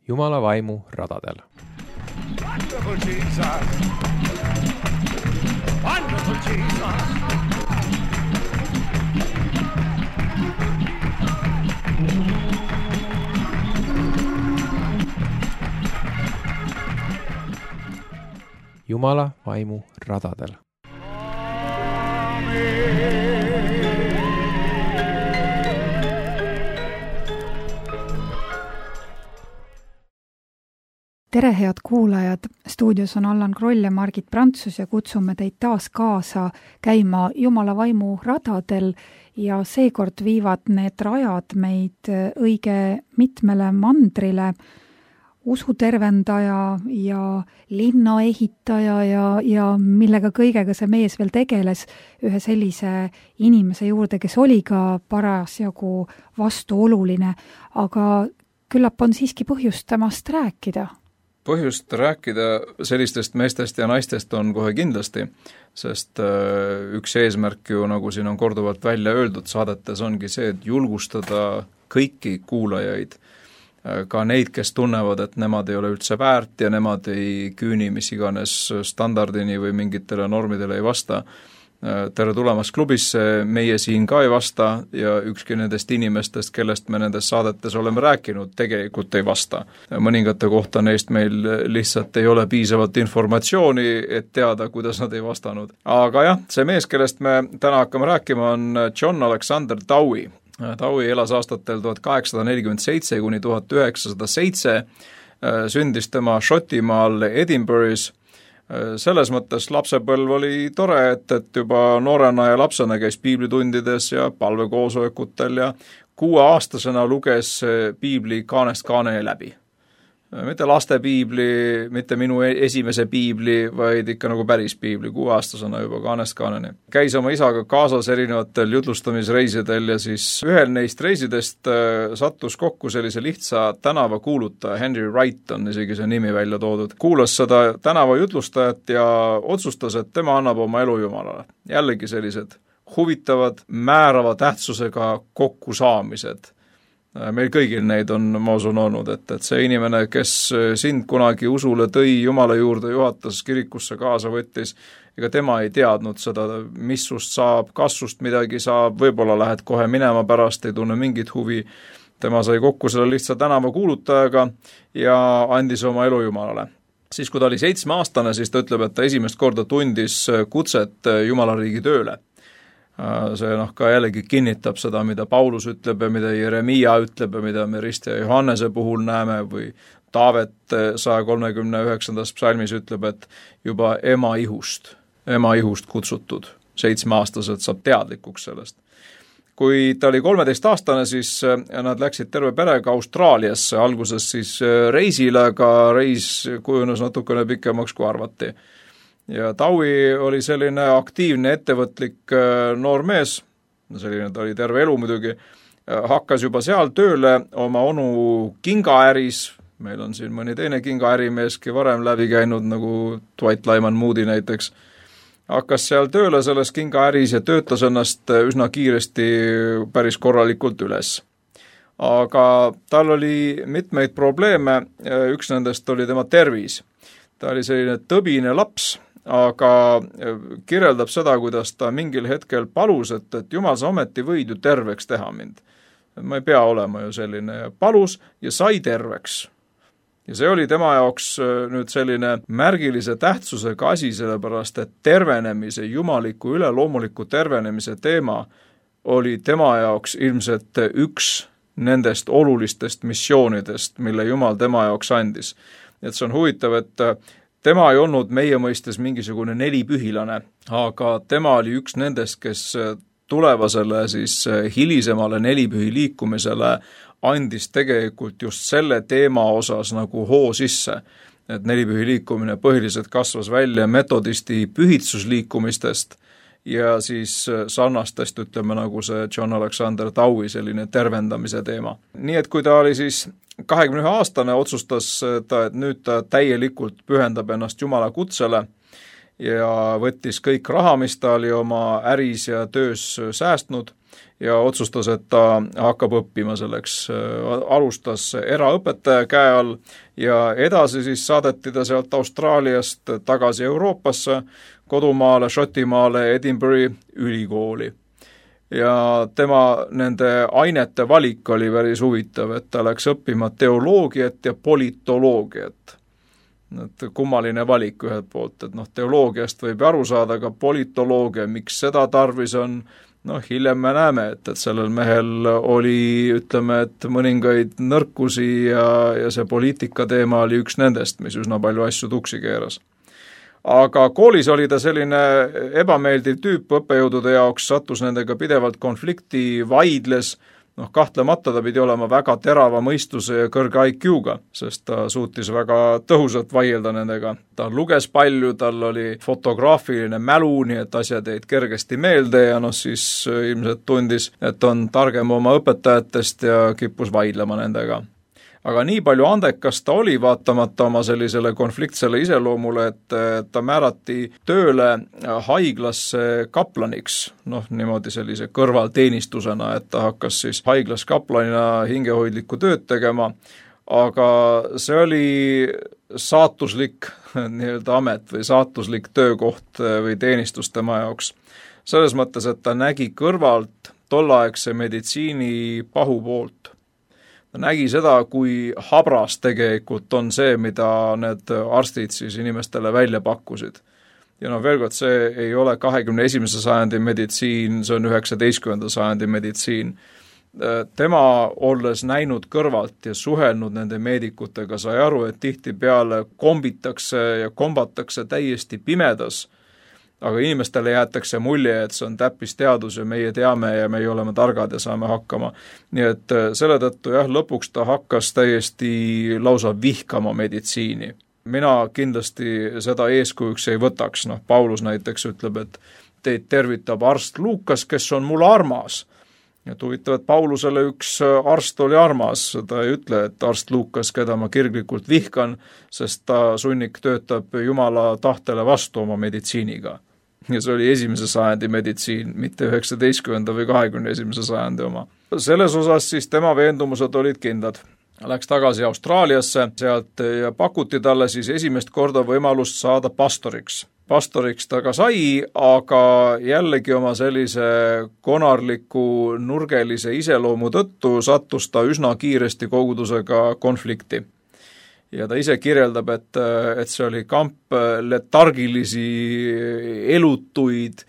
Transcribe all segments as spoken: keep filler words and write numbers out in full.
Jumala vaimu radadel. Wonderful Jesus. Wonderful Jesus. Jumala vaimu radadel. Tere, head kuulajad! Stuudios on Allan Kroll ja Margit Prantsus ja kutsume teid taas kaasa käima Jumala vaimu radadel ja seekord viivad need rajad meid õige mitmele mandrile. Usutervendaja ja linnaehitaja ja, ja millega kõigega see mees veel tegeles ühe sellise inimese juurde, kes oli ka parasjagu vastuoluline, aga küllap on siiski põhjust temast rääkida. Põhjust rääkida sellistest meestest ja naistest on kohe kindlasti, sest üks eesmärk ju, nagu siin on korduvalt välja öeldud saadetes, ongi see, et julgustada kõiki kuulajaid, ka neid, kes tunnevad, et nemad ei ole üldse väärt ja nemad ei küüni mis iganes standardini või mingitele normidele ei vasta. Tere tulemast klubisse, meie siin ka ei vasta ja ükski nendest inimestest, kellest me nendes saadetes oleme rääkinud, tegelikult ei vasta. Mõningate kohta neist meil lihtsalt ei ole piisavalt informatsiooni, et teada, kuidas nad ei vastanud. Aga jah, see mees, kellest me täna hakkame rääkima, on John Alexander Dowie. Dowie elas aastatel tuhat kaheksasada nelikümmend seitse kuni tuhat üheksasada seitse, sündis tema Šotimaal Edinburgh'is. Selles mõttes lapsepõlv oli tore, et, et juba noorena ja lapsena käis piiblitundides ja palvekoosolekutel ja kuueaastasena luges piibli kaanest kaaneni läbi. Mitte laste piibli, mitte minu esimese piibli, vaid ikka nagu päris piibli, kuueaastasena juba kaanest kaaneni. Käis oma isaga kaasas erinevatel jutlustamisreisidel ja siis ühel neist reisidest sattus kokku sellise lihtsa tänavakuulutaja, Henry Wright on isegi see nimi välja toodud. Kuulas seda tänava jutlustajat ja otsustas, et tema annab oma elu Jumalale. Jällegi sellised huvitavad, määrava tähtsusega kokkusaamised. Meil kõigil neid on, ma usun, olnud, et, et see inimene, kes sind kunagi usule tõi Jumala juurde, juhatas kirikusse kaasa võttis, ega tema ei teadnud seda, mis sust saab, kas sust midagi saab, võib-olla lähed kohe minema pärast, ei tunne mingit huvi. Tema sai kokku selle lihtsa tänava kuulutajaga ja andis oma elu Jumalale. Siis kui ta oli seitsmeaastane, siis ta ütleb, et ta esimest korda tundis kutset Jumala riigi tööle. See noh, ka jällegi kinnitab seda, mida Paulus ütleb ja mida Jeremia ütleb ja mida me Rist ja Johannese puhul näeme või Taavet saja kolmekümne üheksandas psalmis ütleb, et juba ema ihust, ema ihust kutsutud, seitsmeaastaselt saab teadlikuks sellest. Kui ta oli kolmeteistaastane, siis nad läksid terve perega Austraaliasse, alguses siis reisile, aga reis kujunes natukene pikemaks kui arvati. Ja Dowie oli selline aktiivne, ettevõtlik noor mees, selline ta oli terve elu muidugi, hakkas juba seal tööle oma onu kingaäris, meil on siin mõni teine kingaärimeeski varem läbi käinud, nagu Dwight Lyman Moody näiteks, hakkas seal tööle selles kingaäris ja töötas ennast üsna kiiresti päris korralikult üles. Aga tal oli mitmeid probleeme, üks nendest oli tema tervis. Ta oli selline tõbine laps, aga kirjeldab seda, kuidas ta mingil hetkel palus, et, et Jumal, sa ometi võid ju terveks teha mind. Ma ei pea olema ju selline. Palus ja sai terveks. Ja see oli tema jaoks nüüd selline märgilise tähtsusega asi, sellepärast, et tervenemise, jumaliku üleloomuliku tervenemise teema oli tema jaoks ilmselt üks nendest olulistest missioonidest, mille Jumal tema jaoks andis. Et see on huvitav, et tema ei olnud meie mõistes mingisugune nelipühilane, aga tema oli üks nendest, kes tulevasele siis hilisemale nelipühi liikumisele andis tegelikult just selle teema osas nagu hoo sisse. Et nelipühi liikumine põhiliselt kasvas välja metodisti pühitsusliikumistest ja siis sarnastest, ütleme nagu see John Alexander Dowie selline tervendamise teema. Nii et kui ta oli siis kahekümne ühe aastane, otsustas ta, et nüüd ta täielikult pühendab ennast Jumala kutsele ja võttis kõik raha, mis ta oli oma äris ja töös säästnud ja otsustas, et ta hakkab õppima selleks. Alustas eraõpetaja käe all ja edasi siis saadeti ta sealt Austraaliast tagasi Euroopasse, kodumaale, Šotimaale, Edinburghi ülikooli. Ja tema nende ainete valik oli päris huvitav, et ta läks õppima teoloogiat ja politoloogiat. Et kummaline valik ühelt poolt, et noh, teoloogiast võib aru saada, aga politoloogia, miks seda tarvis on, noh, hiljem me näeme, et, et sellel mehel oli, ütleme, et mõningaid nõrkusi ja, ja see poliitika teema oli üks nendest, mis üsna palju asju tuksi keeras. Aga koolis oli ta selline ebameeldiv tüüp õppejõudude jaoks, sattus nendega pidevalt konflikti, vaidles, noh, kahtlemata ta pidi olema väga terava mõistuse ja kõrge I Q-ga, sest ta suutis väga tõhusalt vaielda nendega. Ta luges palju, tal oli fotograafiline mälu, nii et asjad jäid kergesti meelde ja noh, siis ilmselt tundis, et on targem oma õpetajatest ja kippus vaidlema nendega. Aga nii palju andekas ta oli, vaatamata oma sellisele konfliktsele iseloomule, et ta määrati tööle haiglasse kaplaniks, noh niimoodi sellise kõrvalteenistusena, et ta hakkas siis haiglas kaplanina hingehoidlikku tööd tegema, aga see oli saatuslik nii-öelda amet või saatuslik töökoht või teenistus tema jaoks. Selles mõttes, et ta nägi kõrvalt tolleaegse meditsiini pahupoolt. Ta nägi seda, kui habras tegelikult on see, mida need arstid siis inimestele välja pakkusid. Ja noh, veel kord, see ei ole kahekümne esimese sajandi meditsiin, see on üheksateistkümnenda sajandi meditsiin. Tema, olles näinud kõrvalt ja suhelnud nende meedikutega, sai aru, et tihti peale kombitakse ja kombatakse täiesti pimedas, aga inimestele jäetakse mulje, et see on täppisteadus ja meie teame ja meie oleme targad ja saame hakkama. Nii et selle tõttu jah, lõpuks ta hakkas täiesti lausa vihkama meditsiini. Mina kindlasti seda eeskujuks ei võtaks. Noh, Paulus näiteks ütleb, et teid tervitab arst Luukas, kes on mul armas. Ja huvitav, et Paulusele üks arst oli armas, ta ei ütle, et arst Luukas, keda ma kirglikult vihkan, sest ta sunnik töötab Jumala tahtele vastu oma meditsiiniga. Ja see oli esimese sajandi meditsiin, mitte üheksateistkümnenda või kahekümne esimese sajandi oma. Selles osas siis tema veendumused olid kindlad. Läks tagasi Austraaliasse sealt ja pakuti talle siis esimest korda võimalust saada pastoriks. Pastoriks ta ka sai, aga jällegi oma sellise konarliku nurgelise iseloomu tõttu sattus ta üsna kiiresti kogudusega konflikti. Ja ta ise kirjeldab, et, et see oli kamp letargilisi elutuid,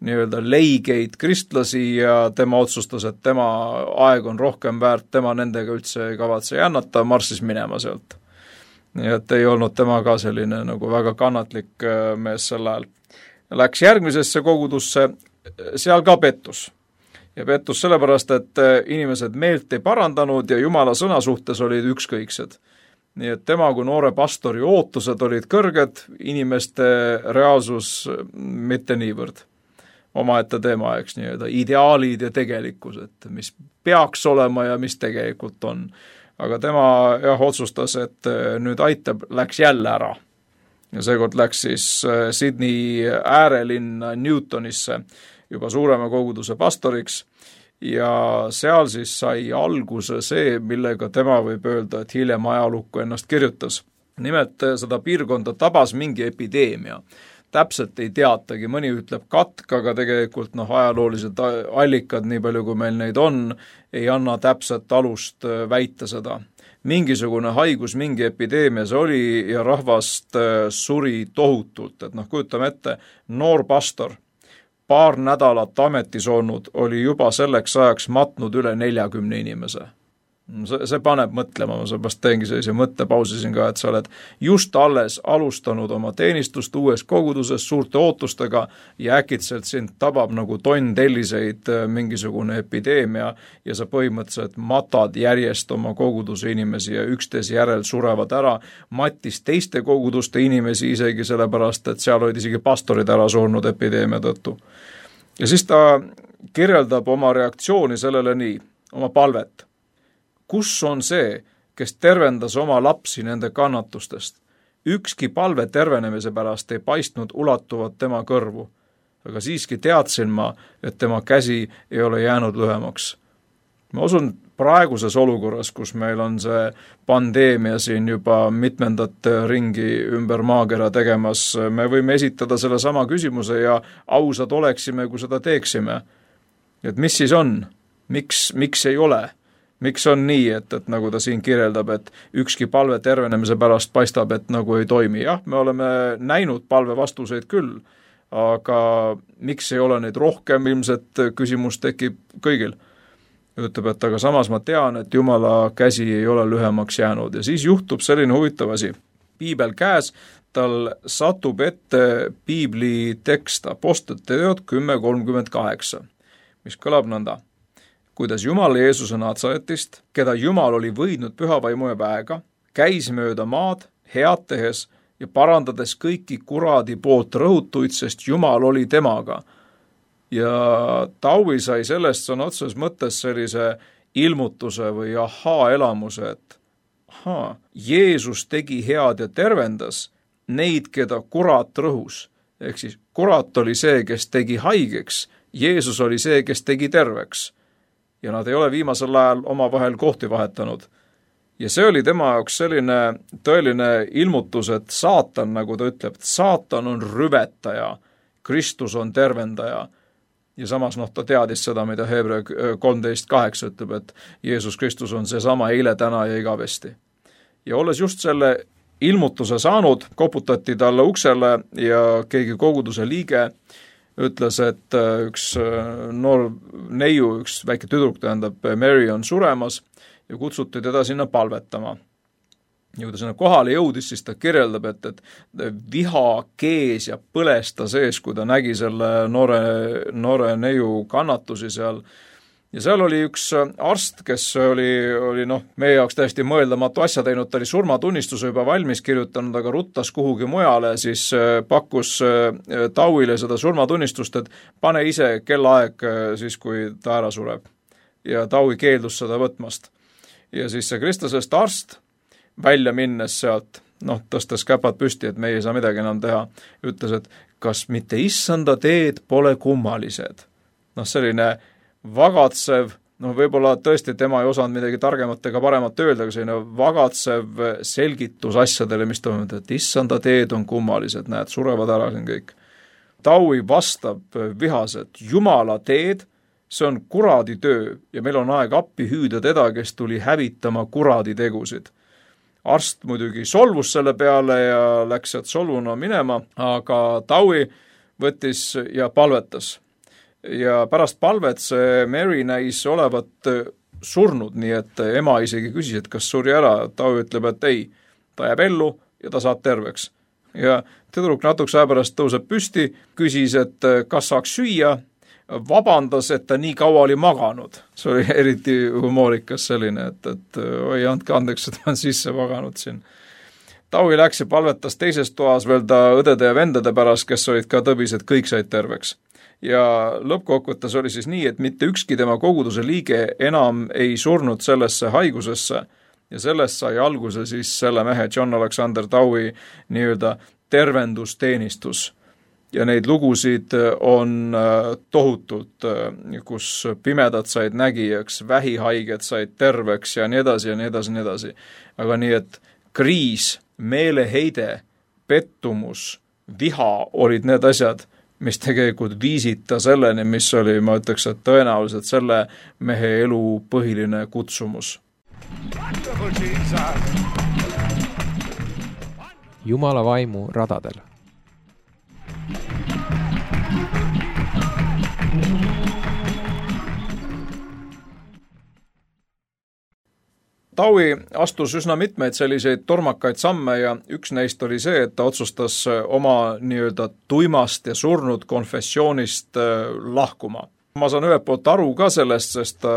nii-öelda leigeid kristlasi ja tema otsustas, et tema aeg on rohkem väärt, tema nendega üldse ei kavatse jännata, marssis minema sealt. Nii et ei olnud tema ka selline nagu väga kannatlik mees sel ajal. Läks järgmisesse kogudusse, seal ka pettus. Ja pettus sellepärast, et inimesed meelt ei parandanud ja Jumala sõna suhtes olid ükskõiksed. Nii et tema kui noore pastori ootused olid kõrged, inimeste reaalsus mitte niivõrd. Omaette teema, eks nii-öelda ideaalid ja tegelikkus, et mis peaks olema ja mis tegelikult on. Aga tema jah, otsustas, et nüüd aitab, läks jälle ära. Ja seekord läks siis Sydney äärelinna Newtonisse juba suurema koguduse pastoriks. Ja seal siis sai alguse see, millega tema võib öelda, et hiljem ajalukku ennast kirjutas. Nimelt seda piirkonda tabas mingi epideemia. Täpselt ei teatagi, mõni ütleb katk, aga tegelikult noh, ajaloolised allikad, nii palju kui meil neid on, ei anna täpselt alust väita seda. Mingisugune haigus, mingi epideemia see oli ja rahvast suri tohutult, et noh, kujutame ette, noor pastor, paar nädalat ametis olnud, oli juba selleks ajaks matnud üle neljakümne inimese. See, see paneb mõtlema, ma seepärast teengi sellise mõttepausi siin ka, et sa oled just alles alustanud oma teenistust uues koguduses suurte ootustega ja äkitselt sind tabab nagu tonn telliseid mingisugune epideemia ja sa põhimõtteliselt matad järjest oma koguduse inimesi ja üksteise järel surevad ära, mattis teiste koguduste inimesi isegi sellepärast, et seal olid isegi pastorid ära surnud epideemia tõttu. Ja siis ta kirjeldab oma reaktsiooni sellele nii, oma palvet. Kus on see, kes tervendas oma lapsi nende kannatustest? Ükski palve tervenemise pärast ei paistnud ulatuvat tema kõrvu. aga siiski teadsin ma, et tema käsi ei ole jäänud lühemaks. Ma usun, praeguses olukorras, kus meil on see pandeemia siin juba mitmendat ringi ümber maakera tegemas, me võime esitada selle sama küsimuse ja ausad oleksime, kui seda teeksime. Et mis siis on? Miks, miks ei ole? Miks on nii, et, et nagu ta siin kirjeldab, et ükski palve tervenemise pärast paistab, et nagu ei toimi? Jah, me oleme näinud palve vastuseid küll, aga miks ei ole neid rohkem, ilmselt küsimus tekib kõigil. Ütleb, et aga samas ma tean, et Jumala käsi ei ole lühemaks jäänud ja siis juhtub selline huvitav asi. Piibel käes, tal satub ette piibli tekst Apostlite teod kümme kolmkümmend kaheksa, mis kõlab nõnda. Kuidas Jumal Jeesuse Natsaretist, keda Jumal oli võidnud pühavaimu ja väega, käis mööda maad head tehes ja parandades kõiki kuradi poolt rõhutuid, sest Jumal oli temaga. Ja Taui sai sellest sõna otseses mõttes sellise ilmutuse või ahaa-elamuse, et ahaa, Jeesus tegi head ja tervendas neid, keda kurat rõhus. Ehk siis kurat oli see, kes tegi haigeks, Jeesus oli see, kes tegi terveks. Ja nad ei ole viimasel ajal omavahel kohti vahetanud. Ja see oli tema jaoks selline tõeline ilmutus, et saatan, nagu ta ütleb, et saatan on rüvetaja, Kristus on tervendaja. Ja samas noh, ta teadis seda, mida Hebra kolmteist kaheksa ütleb, et Jeesus Kristus on seesama eile, täna ja igavesti. Ja olles just selle ilmutuse saanud, koputati talle uksele ja keegi koguduse liige ütles, et üks noor neiu, üks väike tüdruk, tähendab, Mary on suremas ja kutsuti teda sinna palvetama. Ja kui ta sinna kohale jõudis, siis ta kirjeldab, et, et viha kees ja põles ta sees, kui ta nägi selle noore, noore neiu kannatusi seal. Ja seal oli üks arst, kes oli, oli noh, meie jaoks täiesti mõeldamatu asja teinud, ta oli surmatunnistuse juba valmis kirjutanud, aga ruttas kuhugi mujale, siis pakkus Tauile seda surmatunnistust, et pane ise kellaaeg siis, kui ta ära sureb. Ja Taui keeldus seda võtmast. Ja siis see kristlasest arst välja minnes sealt, noh, tõstes käpad püsti, et meie ei saa midagi enam teha, ütles, et kas mitte issanda teed pole kummalised. Noh, selline vagatsev, noh, võib-olla tõesti tema ei osanud midagi targemat ega paremat öelda, aga selline vagatsev selgitus asjadele, mis toimub, et issanda teed on kummalised, näed, surevad ära siin kõik. Taui vastab vihaselt, Jumala teed, see on kuradi töö ja meil on aeg appi hüüda teda, kes tuli hävitama kuradi tegusid. Arst muidugi solvus selle peale ja läks sealt solvuna minema, aga Taui võttis ja palvetas. Ja pärast palvet see Mary näis olevat surnud, nii et ema isegi küsis, et kas suri ära. Taui ütleb, et ei, ta jääb ellu ja ta saab terveks. Ja tüdruk natukese aja pärast tõuseb püsti, küsis, et kas saaks süüa, vabandas, et ta nii kaua oli maganud. See oli eriti humoorikas selline, et, et oi, andke andeks, et ta on sisse maganud siin. Taui läks ja palvetas teises toas veel ta õdede ja vendade pärast, kes olid ka tõbised, kõik said terveks. Ja lõppkokkuvõttes oli siis nii, et mitte ükski tema koguduse liige enam ei surnud sellesse haigusesse ja sellest sai alguse siis selle mehe John Alexander Taui nii-öelda tervendusteenistus. Ja neid lugusid on tohutult, kus pimedad said nägijaks, vähihaiged said terveks ja nii edasi ja nii edasi ja nii edasi. Aga nii, et kriis, meeleheide, pettumus, viha olid need asjad, mis tegelikult viisid ta selleni, mis oli, ma ütleks, et tõenäoliselt selle mehe elu põhiline kutsumus. Jumala vaimu radadel. Taui astus üsna mitmeid selliseid tormakaid samme ja üks neist oli see, et ta otsustas oma nii-öelda tuimast ja surnud konfessioonist lahkuma. Ma saan ühelt poolt aru ka sellest, sest ta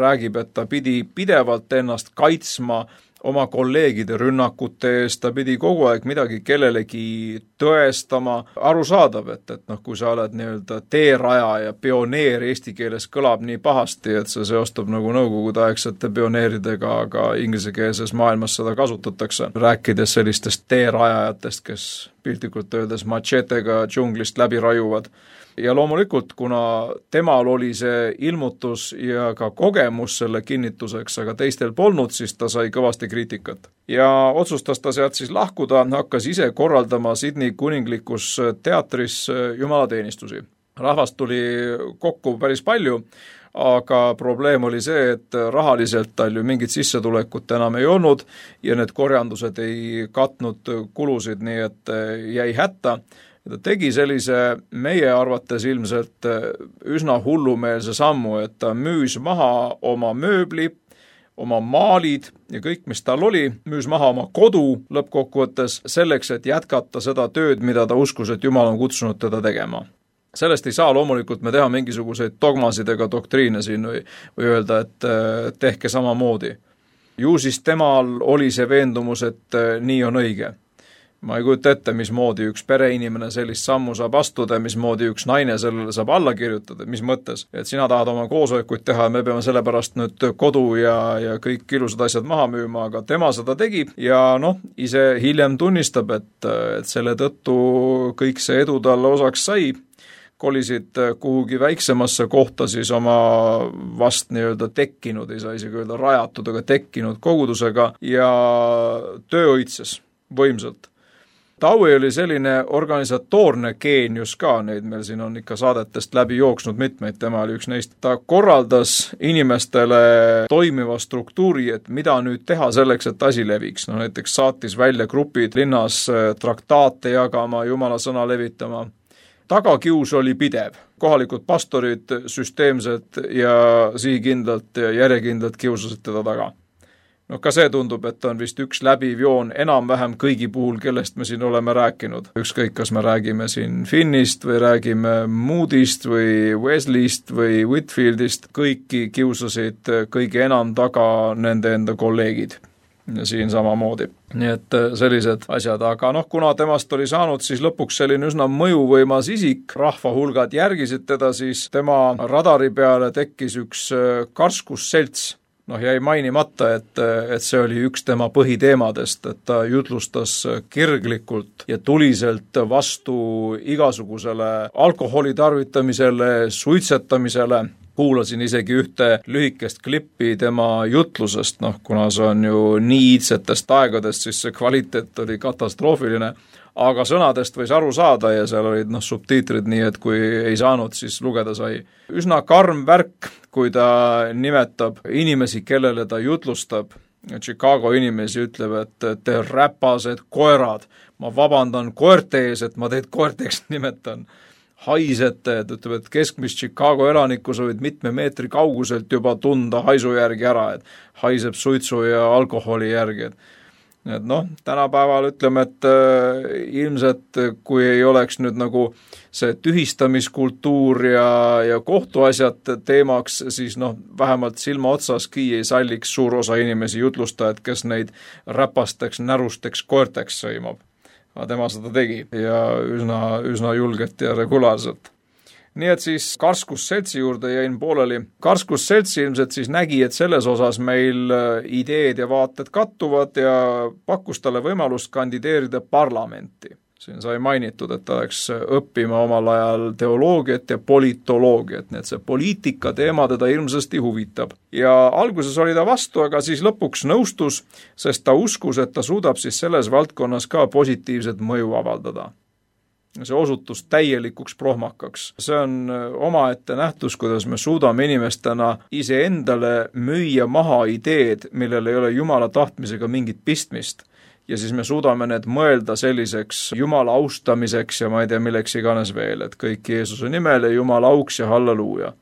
räägib, et ta pidi pidevalt ennast kaitsma oma kolleegide rünnakute eest, ta pidi kogu aeg midagi kellelegi tõestama, arusaadav, et, et noh, kui sa oled nii-öelda teeraja ja pioneer eesti keeles kõlab nii pahasti, et see seostub nagu nõukogudeaegsete pioneeridega, aga inglisekeelses maailmas seda kasutatakse, rääkides sellistest teerajajatest, kes piltlikult öeldes machetega džunglist läbi rajuvad. Ja loomulikult, kuna temal oli see ilmutus ja ka kogemus selle kinnituseks, aga teistel polnud, siis ta sai kõvasti kriitikat. Ja otsustas ta sealt siis lahkuda, hakkas ise korraldama Sydney kuninglikus teatris jumalateenistusi. Rahvast tuli kokku päris palju, aga probleem oli see, et rahaliselt tal ju mingit sissetulekut enam ei olnud ja need korjandused ei katnud kulusid, nii et jäi hätta. Ta tegi sellise meie arvates ilmselt üsna hullumeelse sammu, et ta müüs maha oma mööbli, oma maalid ja kõik, mis tal oli, müüs maha oma kodu lõppkokkuvõttes selleks, et jätkata seda tööd, mida ta uskus, et Jumal on kutsunud teda tegema. Sellest ei saa loomulikult me teha mingisuguseid dogmasid ega doktriine siin või, või öelda, et tehke samamoodi. Ju siis temal oli see veendumus, et nii on õige. Ma ei kujuta ette, mismoodi üks pereinimene sellist sammu saab astuda, mismoodi üks naine sellele saab alla kirjutada, mis mõttes, et sina tahad oma koosolekuid teha ja me peame selle pärast nüüd kodu ja, ja kõik ilusad asjad maha müüma, aga tema seda tegi ja noh, ise hiljem tunnistab, et, et selle tõttu kõik see edu talle osaks sai, kolisid kuhugi väiksemasse kohta siis oma vast nii-öelda tekkinud, ei saa isegi öelda rajatud, aga tekkinud kogudusega ja töö õitses võimsalt. Taue oli selline organisatoorne geenius ka, neid meil siin on ikka saadetest läbi jooksnud mitmeid, tema oli üks neist. Ta korraldas inimestele toimiva struktuuri, et mida nüüd teha selleks, et asi leviks. No näiteks saatis välja grupid linnas traktaate jagama, Jumala sõna levitama. Tagakius oli pidev. Kohalikud pastorid süsteemselt ja sihikindlalt ja järjekindlalt kiusasid teda taga. No ka see tundub, et on vist üks läbiv joon enam-vähem kõigi puhul, kellest me siin oleme rääkinud. Ükskõik, kas me räägime siin Finnist või räägime Moody'st või Wesley'st või Whitfieldist, kõiki kiusasid kõige enam taga nende enda kolleegid. Ja siin samamoodi. Nii et sellised asjad, aga noh, kuna temast oli saanud siis lõpuks selline üsna mõjuvõimas isik, rahva hulgad järgisid teda, siis tema radari peale tekkis üks karskusselts. Noh, jäi mainimata, et, et see oli üks tema põhiteemadest, et ta jutlustas kirglikult ja tuliselt vastu igasugusele alkoholi tarvitamisele, suitsetamisele. Kuulasin isegi ühte lühikest klippi tema jutlusest, noh, kuna see on ju nii iidsetest aegadest, siis see kvaliteet oli katastroofiline, aga sõnadest võis aru saada ja seal olid noh, subtiitrid nii, et kui ei saanud, siis lugeda sai. Üsna karm värk, kui ta nimetab inimesi, kellele ta jutlustab. Chicago inimesi ütleb, et te räpased koerad, ma vabandan koerte ees, et ma teid koerteks nimetan. Haisete, et ütleb, et keskmist Chicago elanikku soovid mitme meetri kauguselt juba tunda haisu järgi ära, et haiseb suitsu ja alkoholi järgi, et et noh, tänapäeval ütleme, et äh, ilmselt kui ei oleks nüüd nagu see tühistamiskultuur ja, ja kohtuasjad teemaks, siis noh, vähemalt silma otsaski ei salliks suur osa inimesi jutlustajad, kes neid räpasteks, närusteks koerteks sõimab. Aga tema seda tegi ja üsna, üsna julgelt ja regulaarselt. Nii et siis karskusseltsi juurde jäin pooleli. Karskusseltsi ilmselt siis nägi, et selles osas meil ideed ja vaated kattuvad ja pakkus talle võimalust kandideerida parlamenti. Siin sai mainitud, et ta läks õppima omal ajal teoloogiat ja politoloogiat, nii et see poliitika teema teda ilmsesti huvitab. Ja alguses oli ta vastu, aga siis lõpuks nõustus, sest ta uskus, et ta suudab siis selles valdkonnas ka positiivset mõju avaldada. See osutus täielikuks prohmakaks. See on omaette nähtus, kuidas me suudame inimestena iseendale müüa maha ideed, millel ei ole Jumala tahtmisega mingit pistmist. Ja siis me suudame need mõelda selliseks Jumala austamiseks ja ma ei tea, milleks iganes veel, et kõik Jeesuse nimel ja Jumala auks ja halleluuja.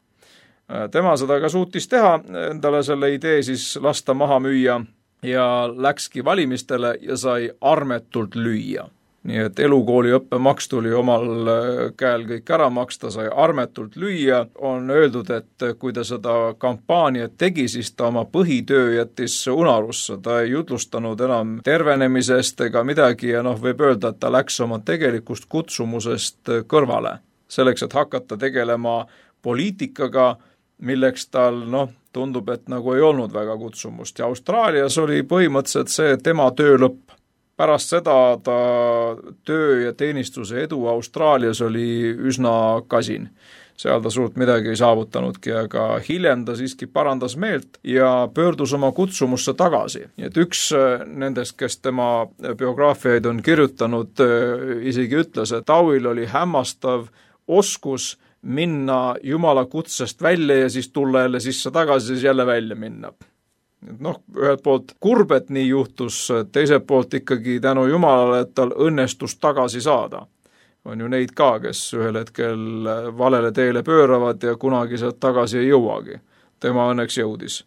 Tema seda ka suutis teha, endale selle idee siis lasta maha müüa ja läkski valimistele ja sai armetult lüüa. nii et elukooli õppemaks tuli omal käel kõik ära maksta, sai armetult lüüa, on öeldud, et kui ta seda kampaaniat tegi, siis ta oma põhitöö jättis unarusse, ta ei jutlustanud enam tervenemisest ega midagi ja noh, võib öelda, et ta läks oma tegelikust kutsumusest kõrvale. Selleks, et hakata tegelema poliitikaga, milleks tal noh, tundub, et nagu ei olnud väga kutsumust ja Austraalias oli põhimõtteliselt see tema töö lõpp. Pärast seda ta töö ja teenistuse edu Austraalias oli üsna kasin. Seal ta suurt midagi ei saavutanudki, aga hiljem ta siiski parandas meelt ja pöördus oma kutsumusse tagasi. Et üks nendest, kes tema biograafiaid on kirjutanud, isegi ütles, et Dowil oli hämmastav oskus minna Jumala kutsest välja ja siis tulla jälle sisse tagasi, siis jälle välja minna. Noh, ühelt poolt kurb, et nii juhtus, teiselt poolt ikkagi tänu Jumalale, et tal õnnestus tagasi saada. On ju neid ka, kes ühel hetkel valele teele pööravad ja kunagi sealt tagasi ei jõuagi. Tema õnneks jõudis,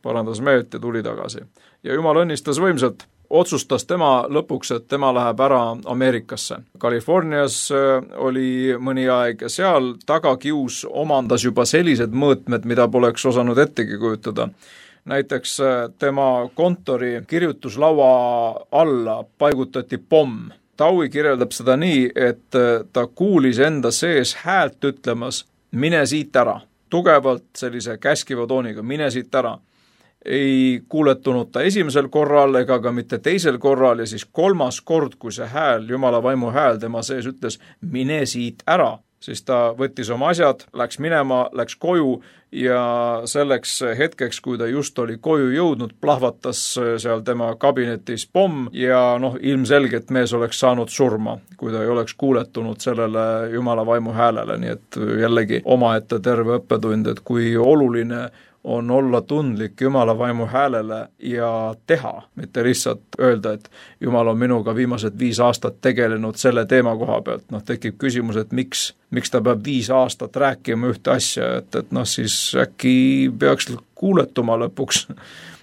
parandas meelt ja tuli tagasi. Ja Jumal õnnistas võimsalt. Otsustas tema lõpuks, et tema läheb ära Ameerikasse. Californias oli mõni aeg ja seal tagakius omandas juba sellised mõõtmed, mida poleks osanud ettegi kujutada. Näiteks tema kontori kirjutuslaua alla paigutati pomm. Dowie kirjeldab seda nii, et ta kuulis enda sees häält ütlemas, mine siit ära. Tugevalt sellise käskiva tooniga, mine siit ära. Ei kuuletunud ta esimesel korral ega ka mitte teisel korral ja siis kolmas kord, kui see hääl, Jumala vaimu hääl tema sees ütles, mine siit ära, siis ta võttis oma asjad, läks minema, läks koju ja selleks hetkeks, kui ta just oli koju jõudnud, plahvatas seal tema kabinetis pomm ja noh, ilmselgelt mees oleks saanud surma, kui ta ei oleks kuuletunud sellele Jumala vaimu häälele, nii et jällegi omaette terve õppetund, et kui oluline on olla tundlik Jumala vaimu häälele ja teha, mitte lihtsalt öelda, et Jumal on minuga viimased viis aastat tegelenud selle teema koha pealt. Noh, tekib küsimus, et miks, miks ta peab viis aastat rääkima ühte asja, et, et noh, siis äkki peaks kuuletuma lõpuks,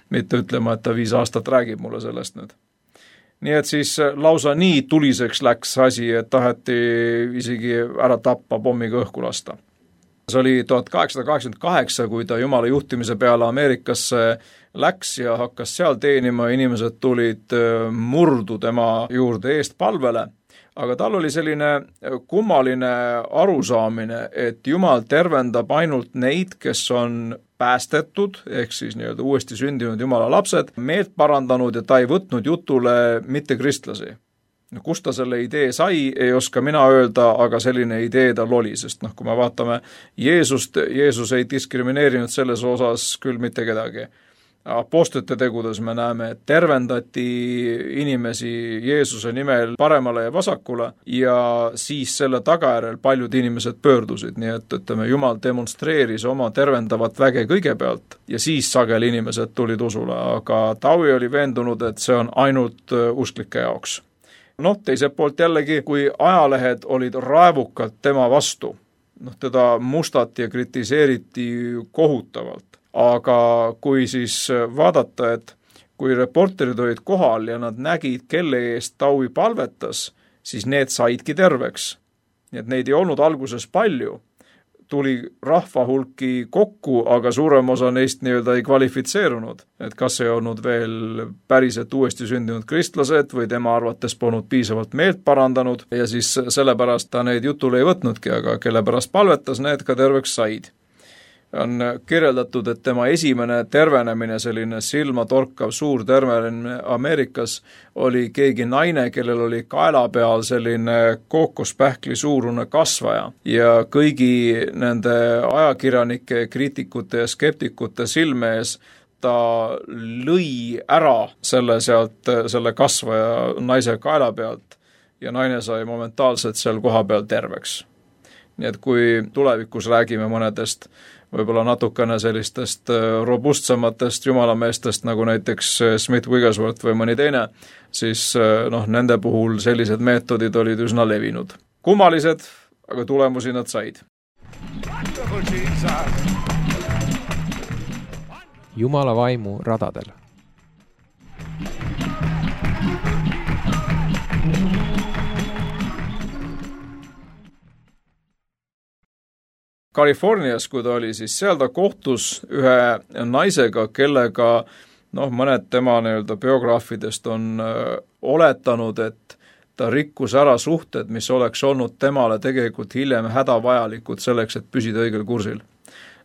mitte ütlema, et ta viis aastat räägib mulle sellest nüüd. Nii et siis lausa nii tuliseks läks asi, et taheti isegi ära tappa pommiga õhku lasta. See oli tuhat kaheksasada kaheksakümmend kaheksa, kui ta Jumala juhtimise peale Ameerikasse läks ja hakkas seal teenima, inimesed tulid murdu tema juurde eest palvele, aga tal oli selline kummaline arusaamine, et Jumal tervendab ainult neid, kes on päästetud, ehk siis nii-öelda uuesti sündinud Jumala lapsed, meelt parandanud ja ta ei võtnud jutule mitte kristlasi. No, kust ta selle idee sai, ei oska mina öelda, aga selline idee tal oli, sest noh, kui me vaatame Jeesust, Jeesus ei diskrimineerinud selles osas küll mitte kedagi. Apostlite tegudes me näeme, et tervendati inimesi Jeesuse nimel paremale ja vasakule ja siis selle tagajärjel paljud inimesed pöördusid, nii et ütleme, Jumal demonstreeris oma tervendavat väge kõigepealt ja siis sageli inimesed tulid usule, aga Dowie oli veendunud, et see on ainult usklike jaoks. Noh, teiselt poolt jällegi, kui ajalehed olid raevukalt tema vastu, noh, teda mustati ja kritiseeriti kohutavalt, aga kui siis vaadata, et kui reporterid olid kohal ja nad nägid, kelle eest Dowie palvetas, siis need saidki terveks. Nii et neid ei olnud alguses palju, tuli rahva hulki kokku, aga suurem osa neist nii-öelda ei kvalifitseerunud. Et kas ei olnud veel päriselt uuesti sündinud kristlased või tema arvates polnud piisavalt meelt parandanud ja siis sellepärast ta neid jutule ei võtnudki, aga kelle pärast palvetas, need ka terveks said. On kirjeldatud, et tema esimene tervenemine, selline silmatorkav suur tervenemine Ameerikas, oli keegi naine, kellel oli kaela peal selline kookospähkli suurune kasvaja ja kõigi nende ajakirjanike, kriitikute ja skeptikute silme ees ta lõi ära selle sealt, selle kasvaja naise kaela pealt ja naine sai momentaalselt seal koha peal terveks. Nii et kui tulevikus räägime mõnedest võib-olla natukene sellistest robustsamatest jumalameestest, nagu näiteks Smith Wigglesworth või mõni teine, siis noh, nende puhul sellised meetodid olid üsna levinud. Kummalised, aga tulemusi nad said. Jumala vaimu radadel. Californias, kui ta oli, siis seal ta kohtus ühe naisega, kellega noh, mõned tema nii-öelda biograafidest on öö, oletanud, et ta rikkus ära suhted, mis oleks olnud temale tegelikult hiljem hädavajalikud selleks, et püsida õigel kursil.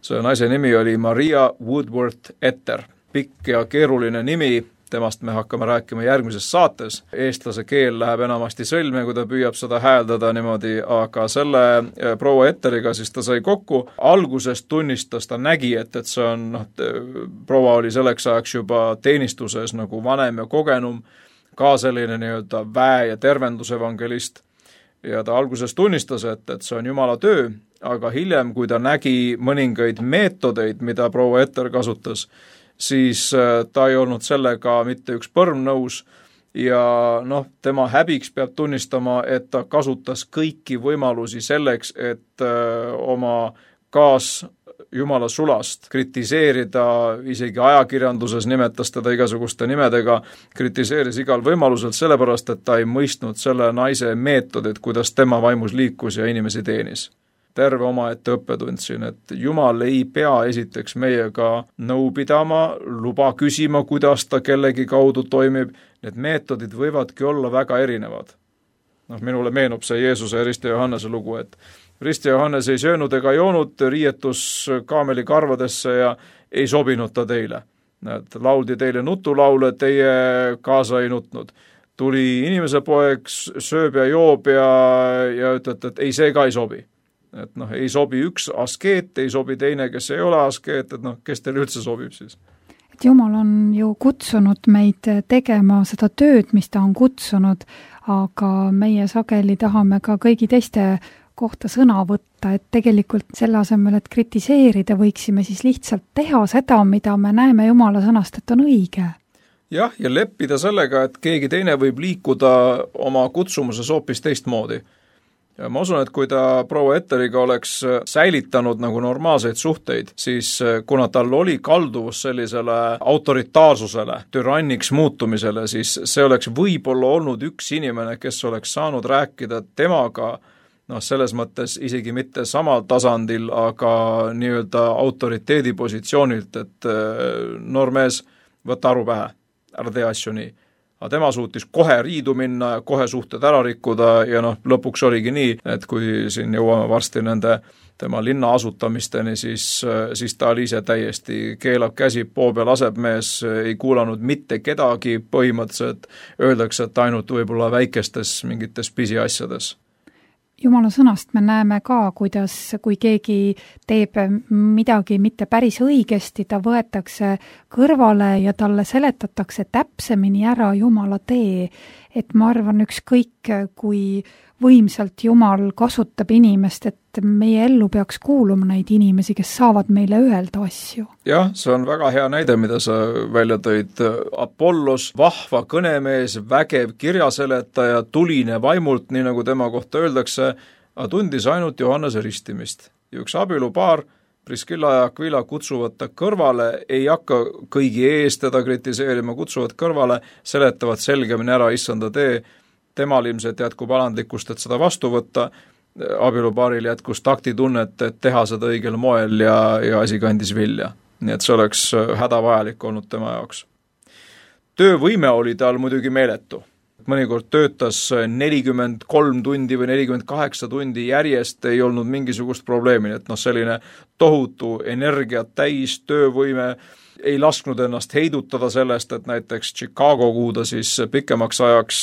See naise nimi oli Maria Woodworth Etter. Pikk ja keeruline nimi, temast me hakkame rääkima järgmises saates. Eestlase keel läheb enamasti sõlme, kui ta püüab seda hääldada niimoodi, aga selle proua Etteriga siis ta sai kokku. Algusest tunnistas, ta nägi, et, et see on, noh, proua oli selleks ajaks juba teenistuses nagu vanem ja kogenum, ka selline nii-öelda väe- ja tervendusevangelist ja ta alguses tunnistas, et, et see on Jumala töö, aga hiljem, kui ta nägi mõningaid meetodeid, mida proua Etter kasutas, siis ta ei olnud sellega mitte üks põrm nõus ja noh, tema häbiks peab tunnistama, et ta kasutas kõiki võimalusi selleks, et öö, oma kaas Jumala sulast kritiseerida, isegi ajakirjanduses nimetas teda igasuguste nimedega, kritiseeris igal võimalusel sellepärast, et ta ei mõistnud selle naise meetodit, kuidas tema vaimus liikus ja inimesi teenis. Terve omaette õppetund siin, et Jumal ei pea esiteks meiega nõu pidama, luba küsima, kuidas ta kellegi kaudu toimib, need meetodid võivadki olla väga erinevad. Noh, minule meenub see Jeesuse ja Risti Johannese lugu, et Risti Johannes ei söönud ega joonud, riietus kaameli karvadesse ja ei sobinud ta teile. Et lauldi teile nutulaule, teie kaasa ei nutnud. Tuli inimese poeg, sööb ja joob ja, ja ütled, et ei, see ka ei sobi. Et noh, ei sobi üks askeet, ei sobi teine, kes ei ole askeet, et noh, kes teil üldse sobib siis? Et Jumal on ju kutsunud meid tegema seda tööd, mis ta on kutsunud, aga meie sageli tahame ka kõigi teiste kohta sõna võtta, et tegelikult selle asemel, et kritiseerida, võiksime siis lihtsalt teha seda, mida me näeme Jumala sõnast, et on õige. Jah, ja leppida sellega, et keegi teine võib liikuda oma kutsumuses hoopis teistmoodi. Ja ma usun, et kui ta proua Etteriga oleks säilitanud nagu normaalseid suhteid, siis kuna tal oli kalduvus sellisele autoritaarsusele, türanniks muutumisele, siis see oleks võib-olla olnud üks inimene, kes oleks saanud rääkida temaga noh, selles mõttes isegi mitte samal tasandil, aga nii-öelda autoriteedi positsioonilt, et noormees, võta aru pähe, ära tee asju nii. Aga tema suutis kohe riidu minna ja kohe suhted ära rikkuda ja noh, lõpuks oligi nii, et kui siin jõuame varsti nende tema linna asutamisteni, siis, siis ta oli ise täiesti keelab käsi, poo peal laseb mees, ei kuulanud mitte kedagi põhimõtteliselt, öeldakse, et ainult võib-olla väikestes mingites pisiasjades. Jumala sõnast me näeme ka, kuidas, kui keegi teeb midagi mitte päris õigesti, ta võetakse kõrvale ja talle seletatakse täpsemini ära Jumala tee. Et ma arvan ükskõik, kui võimsalt Jumal kasutab inimest, et meie ellu peaks kuuluma neid inimesi, kes saavad meile öelda asju. Jah, see on väga hea näide, mida sa välja tõid. Apollos, vahva kõnemees, vägev kirjaseletaja, tuline vaimult, nii nagu tema kohta öeldakse, tundis ainult Johannese ristimist. Ja üks abielupaar, Priskilla ja Aquila kutsuvad ta kõrvale, ei hakka kõigi ees teda kritiseerima, kutsuvad kõrvale, seletavad selgemini ära issanda tee, temal ilmselt jätkub alandlikkust, et seda vastu võtta, abielupaaril jätkus taktitunnet, et teha seda õigel moel ja, ja asi kandis vilja. Nii et see oleks hädavajalik olnud tema jaoks. Töövõime oli tal muidugi meeletu. Mõnikord töötas nelikümmend kolm tundi või nelikümmend kaheksa tundi järjest, ei olnud mingisugust probleemi, et noh, selline tohutu energiat täis töövõime, ei lasknud ennast heidutada sellest, et näiteks Chicago, kuhu ta siis pikemaks ajaks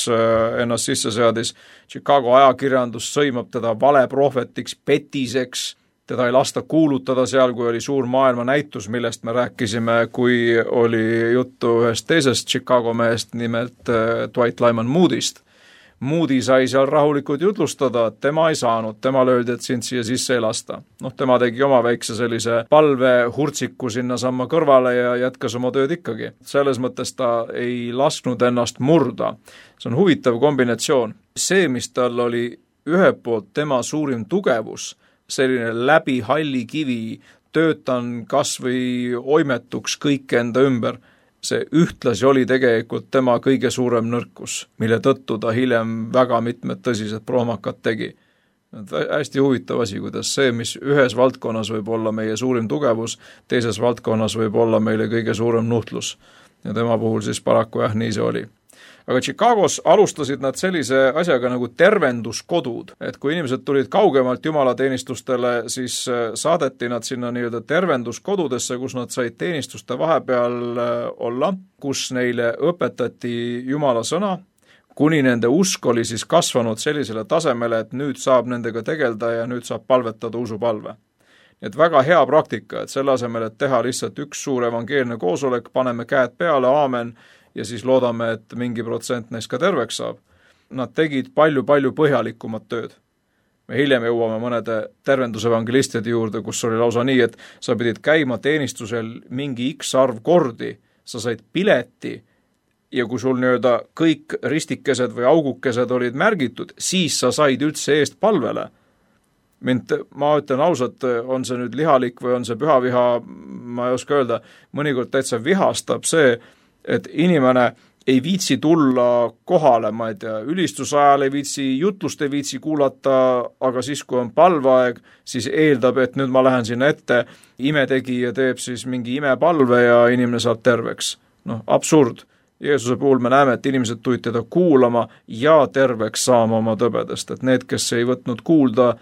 ennast sisse seadis, Chicago ajakirjandus sõimab teda valeprohvetiks, petiseks, teda ei lasta kuulutada seal, kui oli suur maailma näitus, millest me rääkisime, kui oli juttu ühest teisest Chicago mehest, nimelt Dwight Lyman Moody'st. Moody sai seal rahulikult jutlustada, tema ei saanud, tema löödi, et sind siia sisse ei lasta. Noh, tema tegi oma väikse sellise palve hurtsiku sinna samma kõrvale ja jätkas oma tööd ikkagi. Selles mõttes ta ei lasknud ennast murda. See on huvitav kombinatsioon. See, mis tal oli ühelt poolt tema suurim tugevus, selline läbi halli kivi, töötan kas või oimetuks kõik enda ümber, see ühtlasi oli tegelikult tema kõige suurem nõrkus, mille tõttu ta hiljem väga mitmed tõsised prohmakad tegi. hästi huvitav asi, kuidas see, mis ühes valdkonnas võib olla meie suurim tugevus, teises valdkonnas võib olla meile kõige suurem nuhtlus. Ja tema puhul siis paraku jah, nii see oli. Aga Chicagos alustasid nad sellise asjaga nagu tervenduskodud, et kui inimesed tulid kaugemalt jumalateenistustele, siis saadeti nad sinna nii-öelda tervenduskodudesse, kus nad said teenistuste vahepeal olla, kus neile õpetati Jumala sõna, kuni nende usk oli siis kasvanud sellisele tasemele, et nüüd saab nendega tegelda ja nüüd saab palvetada usupalve. Et väga hea praktika, et selle asemel, et teha lihtsalt üks suur evangeelne koosolek, paneme käed peale, aamen, ja siis loodame, et mingi protsent neist ka terveks saab. Nad tegid palju-palju põhjalikumat tööd. Me hiljem jõuame mõnede tervendusevangelistide juurde, kus oli lausa nii, et sa pidid käima teenistusel mingi X arv kordi, sa said pileti, ja kui sul nii-öelda kõik ristikesed või augukesed olid märgitud, siis sa said üldse eest palvele. Mind, ma ütlen ausalt, on see nüüd lihalik või on see pühaviha, ma ei oska öelda, mõnikord täitsa vihastab see, et inimene ei viitsi tulla kohale, ma ei tea, ülistusajal ei viitsi, jutlust ei viitsi kuulata, aga siis, kui on palveaeg, siis eeldab, et nüüd ma lähen sinna ette, imetegija teeb siis mingi imepalve ja inimene saab terveks. Noh, absurd. Jeesuse puhul me näeme, et inimesed tulid teda kuulama ja terveks saama oma tõbedest, et need, kes ei võtnud kuulda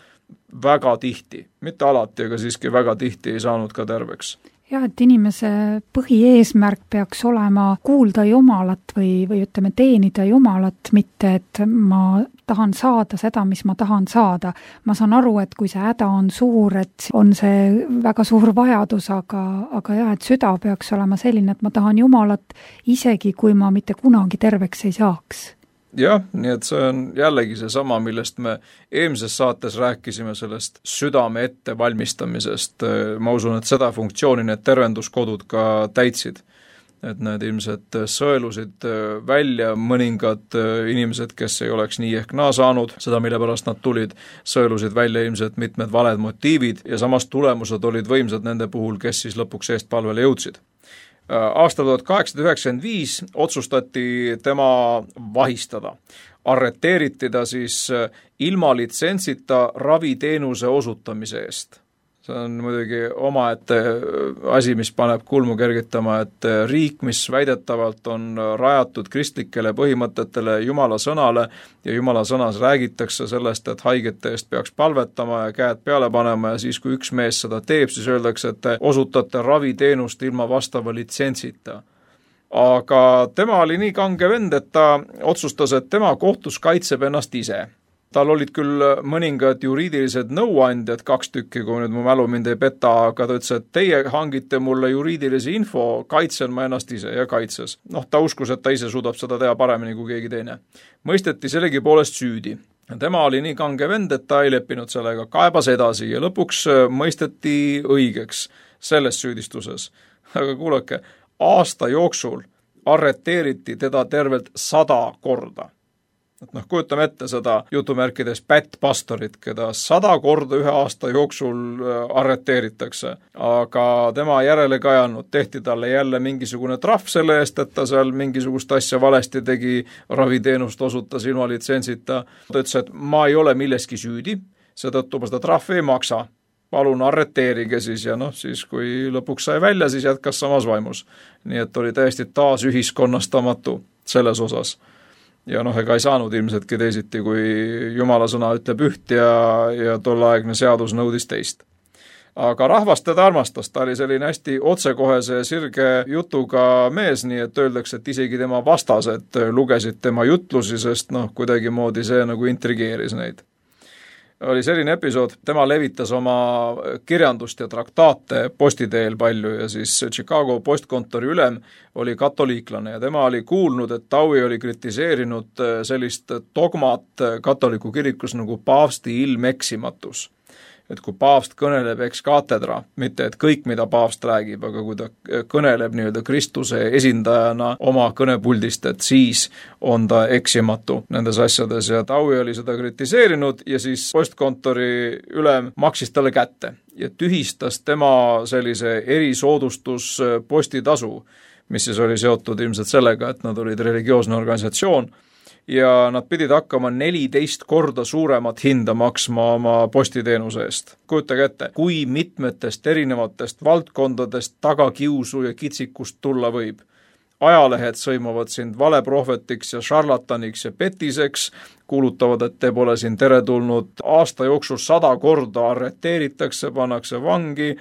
väga tihti, mitte alati, aga siiski väga tihti ei saanud ka terveks. Jah, et inimese põhieesmärk peaks olema kuulda Jumalat või, või ütleme teenida Jumalat, mitte et ma tahan saada seda, mis ma tahan saada. Ma saan aru, et kui see häda on suur, et on see väga suur vajadus, aga, aga jah, et süda peaks olema selline, et ma tahan Jumalat isegi, kui ma mitte kunagi terveks ei saaks. Jah, nii et see on jällegi see sama, millest me eelmises saates rääkisime sellest südame ette valmistamisest. Ma usun, et seda funktsiooni need tervenduskodud ka täitsid. Et need ilmselt sõelusid välja mõningad inimesed, kes ei oleks nii ehk naa saanud, seda mille pärast nad tulid, sõelusid välja ilmselt mitmed valed motiivid ja samas tulemused olid võimsad nende puhul, kes siis lõpuks eest palvele jõudsid. Aastal tuhat kaheksasada üheksakümmend viis otsustati tema vahistada. Arreteeriti ta siis ilma litsentsita raviteenuse osutamise eest. See on muidugi omaette asi, mis paneb kulmu kergitama, et riik, mis väidetavalt on rajatud kristlikele põhimõtetele Jumala sõnale ja Jumala sõnas räägitakse sellest, et haigete eest peaks palvetama ja käed peale panema ja siis, kui üks mees seda teeb, siis öeldakse, et osutate raviteenust ilma vastava litsentsita. Aga tema oli nii kange vend, et ta otsustas, et tema kohtus kaitseb ennast ise. Tal olid küll mõningad juriidilised nõuandjad, kaks tükki, kui nüüd mu mälu mind ei peta, aga ta ütles, et teie hangite mulle juriidilise info, kaitsen ma ennast ise ja kaitses. Noh, ta uskus, et ta ise suudab seda teha paremini kui keegi teine. Mõisteti sellegi poolest süüdi. Tema oli nii kange vend, et ta ei leppinud sellega, kaebas edasi ja lõpuks mõisteti õigeks selles süüdistuses. Aga kuulake, aasta jooksul arreteeriti teda tervelt sada korda. Et noh, kujutame ette seda jutumärkides pättpastorit, keda sada korda ühe aasta jooksul arreteeritakse, aga tema järele kajanud, tehti talle jälle mingisugune trahv selle eest, et ta seal mingisugust asja valesti tegi, raviteenust osutas ilma litsentsita. Ta ütles, et ma ei ole milleski süüdi, seetõttu ma seda trahvi ei maksa. Palun arreteerige siis ja noh, siis kui lõpuks sai välja, siis jätkas samas vaimus. Nii et oli täiesti taas ühiskonnastamatu selles osas. Ja noh, ega ei saanud ilmsetki teisiti, kui Jumala sõna ütleb üht ja, ja tolleaegne seadus nõudis teist. Aga rahvas teda armastas, ta oli selline hästi otsekohese sirge jutuga mees, nii et öeldakse, et isegi tema vastased lugesid tema jutlusi, sest noh, kuidagi moodi see nagu intrigeeris neid. Oli selline episood, tema levitas oma kirjandust ja traktaate postiteel palju ja siis Chicago postkontori ülem oli katoliiklane ja tema oli kuulnud, et Taui oli kritiseerinud sellist dogmat katoliku kirikus nagu paavsti ilmeksimatus. Et kui paavst kõneleb ex katedra, mitte et kõik, mida paavst räägib, aga kui ta kõneleb nii-öelda Kristuse esindajana oma kõnepuldist, et siis on ta eksimatu nendes asjades ja Taui oli seda kritiseerinud ja siis postkontori ülem maksis talle kätte ja tühistas tema sellise erisoodustus postitasu, mis siis oli seotud ilmselt sellega, et nad olid religioosne organisatsioon ja nad pidid hakkama neliteist korda suuremat hinda maksma oma postiteenuse eest. Kujutage ette, kui mitmetest erinevatest valdkondadest tagakiusu ja kitsikust tulla võib. Ajalehed sõimavad sind valeprohvetiks ja šarlataniks ja petiseks, kuulutavad, et te pole siin teretulnud, aasta jooksul sada korda arreteeritakse, pannakse vangi,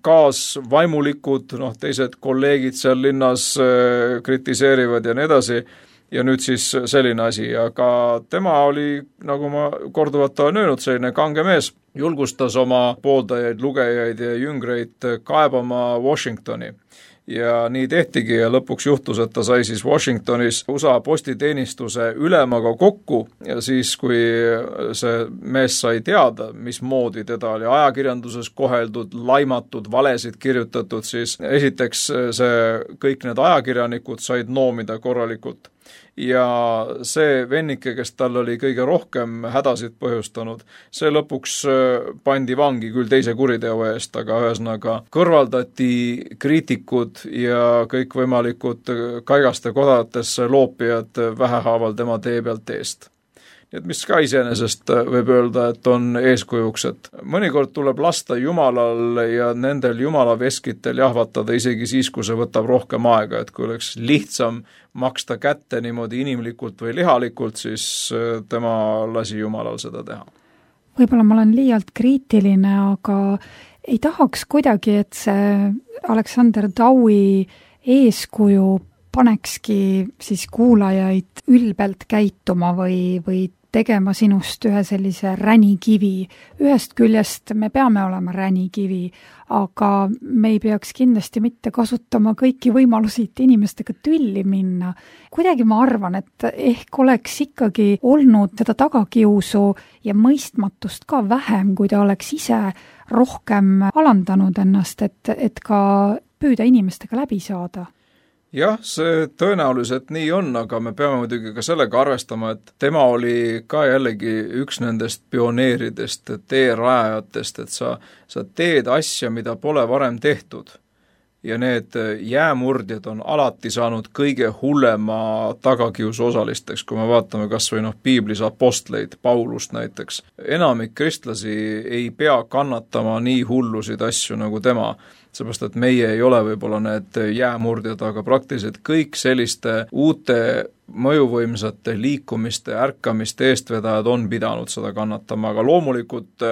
kaasvaimulikud, noh, teised kolleegid seal linnas äh, kritiseerivad ja nii edasi, ja nüüd siis selline asi, aga tema oli, nagu ma korduvalt olen öelnud, selline kange mees, julgustas oma pooldajaid, lugejaid ja jüngreid kaebama Washingtoni. Ja nii tehtigi ja lõpuks juhtus, et ta sai siis Washingtonis U S A postiteenistuse ülemaga kokku ja siis, kui see mees sai teada, mismoodi teda oli ajakirjanduses koheldud, laimatud, valesid kirjutatud, siis esiteks see, kõik need ajakirjanikud said noomida korralikult. Ja see vennike, kes tal oli kõige rohkem hädasid põhjustanud, see lõpuks pandi vangi küll teise kuriteo eest, aga ühesõnaga kõrvaldati kriitikud ja kõikvõimalikud kaigaste kodatesse loopijad vähehaaval tema tee pealt eest. Nii et mis ka iseenesest võib öelda, et on eeskujuks, et mõnikord tuleb lasta Jumalal ja nendel Jumala veskitel jahvatada isegi siis, kui see võtab rohkem aega, et kui oleks lihtsam maksta kätte niimoodi inimlikult või lihalikult, siis tema lasi Jumalal seda teha. Võib-olla ma olen liialt kriitiline, aga ei tahaks kuidagi, et see Alexander Dowie eeskuju panekski siis kuulajaid ülbelt käituma või, või tegema sinust ühe sellise ränikivi. Ühest küljest me peame olema ränikivi, aga me ei peaks kindlasti mitte kasutama kõiki võimalusi, et inimestega tülli minna. Kuidagi ma arvan, et ehk oleks ikkagi olnud seda tagakiusu ja mõistmatust ka vähem, kui ta oleks ise rohkem alandanud ennast, et, et ka püüda inimestega läbi saada. Jah, see tõenäoliselt nii on, aga me peame muidugi ka sellega arvestama, et tema oli ka jällegi üks nendest pioneeridest, teerajajatest, et sa, sa teed asja, mida pole varem tehtud. Ja need jäämurdjad on alati saanud kõige hullema tagakiusu osalisteks, kui me vaatame kas või noh, piiblis apostleid, Paulust näiteks. Enamik kristlasi ei pea kannatama nii hullusid asju nagu tema, seepärast, et meie ei ole võib-olla need jäämurdjad, aga praktiliselt kõik selliste uute mõjuvõimsate liikumiste, ärkamiste eestvedajad on pidanud seda kannatama, aga loomulikult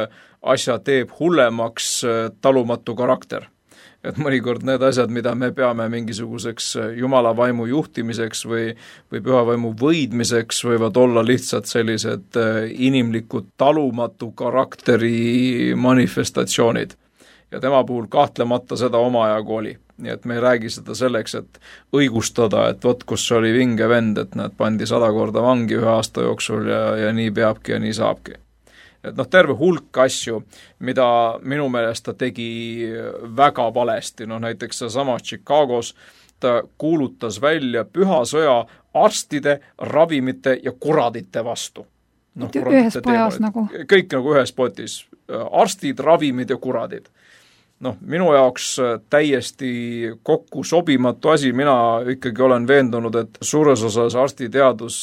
asja teeb hullemaks talumatu karakter. Et mõnikord need asjad, mida me peame mingisuguseks Jumala vaimu juhtimiseks või, või püha vaimu võidmiseks, võivad olla lihtsalt sellised inimlikud talumatu karakteri manifestatsioonid. Ja tema puhul kahtlemata seda omajagu oli. Nii et me ei räägi seda selleks, et õigustada, et vot kus oli vinge vend, et nad pandi sada korda vangi ühe aasta jooksul ja, ja nii peabki ja nii saabki. Et noh, terve hulk asju, mida minu meelest ta tegi väga valesti, noh näiteks sama Chicagos, ta kuulutas välja püha sõja arstide, ravimite ja kuradite vastu. No, ühes pajas nagu. Kõik nagu ühes potis. Arstid, ravimid ja kuradid. Noh, minu jaoks täiesti kokku sobimatu asi, mina ikkagi olen veendunud, et suures osas arstiteadus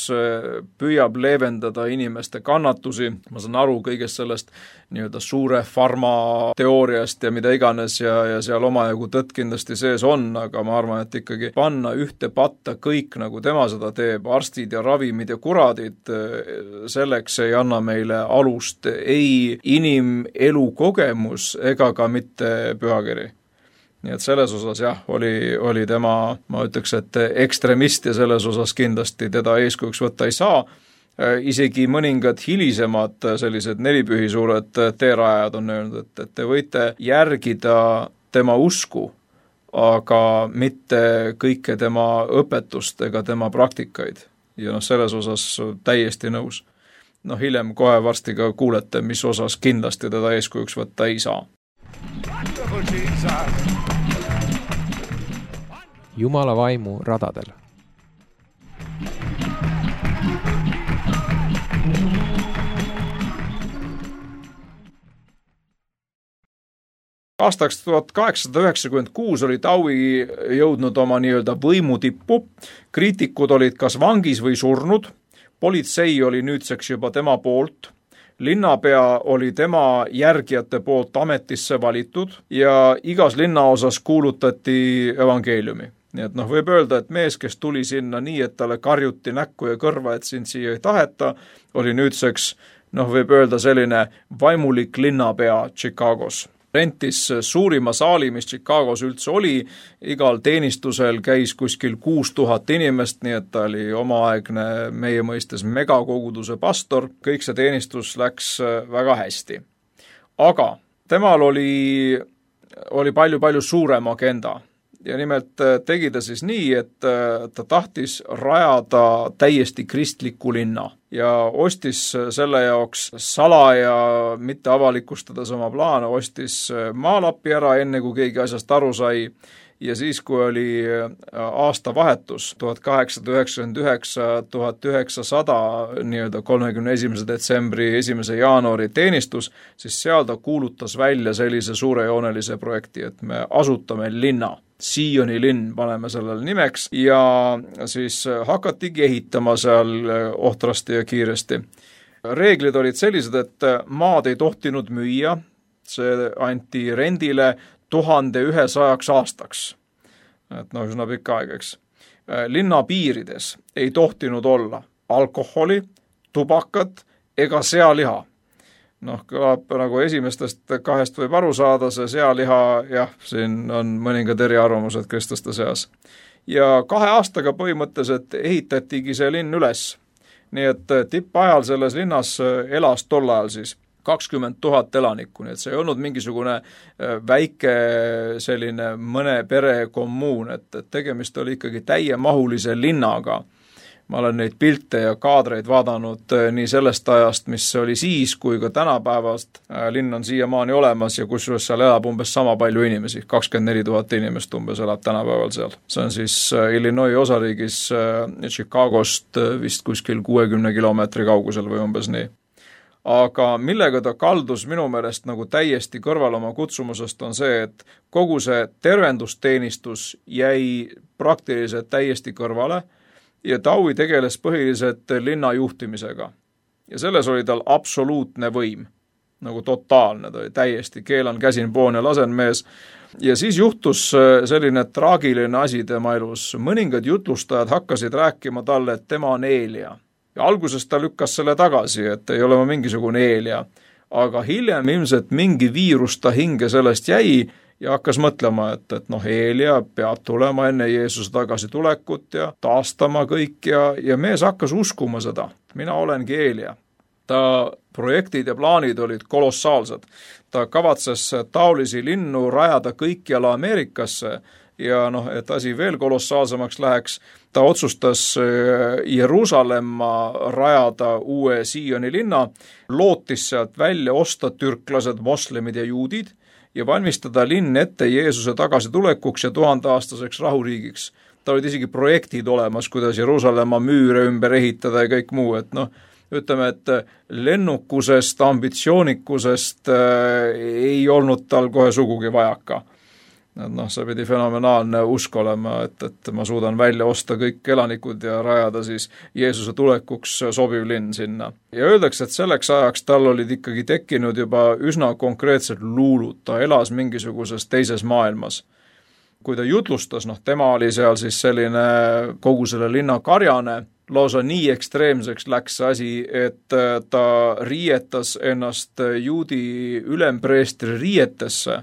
püüab leevendada inimeste kannatusi, ma saan aru kõigest sellest nii-öelda suure farma teooriast ja mida iganes ja, ja seal omajagu tõtt kindlasti sees on, aga ma arvan, et ikkagi panna ühte patta kõik, nagu tema seda teeb, arstid ja ravimid ja kuradid, selleks ei anna meile alust ei inimelu kogemus ega ka mitte pühakiri. Nii et selles osas jah, oli, oli tema, ma ütleks, et ekstremist ja selles osas kindlasti teda eeskujuks võtta ei saa. Isegi mõningad hilisemad sellised nelipühi suured teerajad on öelnud, et, et te võite järgida tema usku, aga mitte kõike tema õpetust ega tema praktikaid. Ja noh, selles osas täiesti nõus. Noh, hiljem kohe varsti ka kuulete, mis osas kindlasti teda eeskujuks võtta ei saa. Jumala vaimu radadel. Aastaks tuhat kaheksasada üheksakümmend kuus oli Dowie jõudnud oma nii-öelda võimu tippu, kriitikud olid kas vangis või surnud, politsei oli nüüdseks juba tema poolt, linnapea oli tema järgijate poolt ametisse valitud ja igas linnaosas kuulutati evangeeliumi. Nii et noh, võib öelda, et mees, kes tuli sinna nii, et talle karjuti näkku ja kõrva, et sind siia ei taheta, oli nüüdseks, noh, võib öelda selline vaimulik linnapea Chicagos. Rentis suurima saali, mis Chicagos üldse oli, igal teenistusel käis kuskil kuus tuhat inimest, nii et ta oli omaaegne meie mõistes megakoguduse pastor, kõik see teenistus läks väga hästi. Aga temal oli, oli palju-palju suurem agenda ja nimelt tegi ta siis nii, et ta tahtis rajada täiesti kristliku linna ja ostis selle jaoks salaja, mitte avalikustades oma plaane, ostis maalapi ära, enne kui keegi asjast aru sai ja siis, kui oli aasta vahetus tuhat kaheksasada üheksakümmend üheksa tuhat üheksasada nii-öelda kolmekümne esimese detsembri esimese jaanuari teenistus, siis seal ta kuulutas välja sellise suurejoonelise projekti, et me asutame linna. Sioni linn paneme sellele nimeks ja siis hakatigi ehitama seal ohtrasti ja kiiresti. Reeglid olid sellised, et maad ei tohtinud müüa, see anti rendile tuhande ühesajaks aastaks. Et no üsna pikka aeg, eks. Linna piirides ei tohtinud olla alkoholi, tubakat ega sealiha. Noh, kõlab nagu esimestest kahest võib aru saada, see sealiha, jah, siin on mõningad eriarvamused kristlaste seas. Ja kahe aastaga põhimõtteliselt ehitatigi see linn üles. Nii et tippajal selles linnas elas tol ajal siis kakskümmend tuhat elanikku, nii et see ei olnud mingisugune väike selline mõne pere kommuun, et tegemist oli ikkagi täiemahulise linnaga. Ma olen neid pilte ja kaadreid vaadanud nii sellest ajast, mis oli siis, kui ka tänapäevast. Linn on siiamaani olemas ja kusjuures seal elab umbes sama palju inimesi, kakskümmend neli tuhat inimest umbes elab tänapäeval seal. See on siis Illinois osariigis Chicagost vist kuskil kuuekümne kilomeetri kaugusel või umbes nii. Aga millega ta kaldus minu meelest nagu täiesti kõrval oma kutsumusest on see, et kogu see tervendusteenistus jäi praktiliselt täiesti kõrvale ja Dowie tegeles põhiliselt linna juhtimisega. Ja selles oli tal absoluutne võim, nagu totaalne, ta oli täiesti keelan käsin poon ja lasen mees. Ja siis juhtus selline traagiline asi tema elus. Mõningad jutlustajad hakkasid rääkima talle, et tema on Eelia. Ja alguses ta lükkas selle tagasi, et ei ole ma mingisugune Eelia. Aga hiljem ilmselt mingi viirus ta hinge sellest jäi ja hakkas mõtlema, et, et noh, Eelia peab tulema enne Jeesuse tagasi tulekut ja taastama kõik ja, ja mees hakkas uskuma seda. Mina olengi Eelia. Ta projektid ja plaanid olid kolossaalsed. Ta kavatses taolisi linnu rajada kõikjala Ameerikasse ja noh, et asi veel kolossaalsemaks läheks, ta otsustas Jeruusalemma rajada uue Sioni linna, lootis sealt välja osta türklased, moslemid ja juudid ja valmistada linn ette Jeesuse tagasitulekuks ja tuhandeaastaseks rahuriigiks. Ta olid isegi projektid olemas, kuidas Jeruusalemma müüre ümber ehitada ja kõik muu, et noh, ütleme, et lennukusest, ambitsioonikusest äh, ei olnud tal kohe sugugi vajaka. Noh, see pidi fenomenaalne usk olema, et, et ma suudan välja osta kõik elanikud ja rajada siis Jeesuse tulekuks sobiv linn sinna. Ja öeldakse, et selleks ajaks tal olid ikkagi tekkinud juba üsna konkreetsed luulud, ta elas mingisuguses teises maailmas. Kui ta jutlustas, noh, tema oli seal siis selline kogu selle linna karjane, lausa nii ekstreemseks läks asi, et ta riietas ennast juudi ülempreestri riietesse.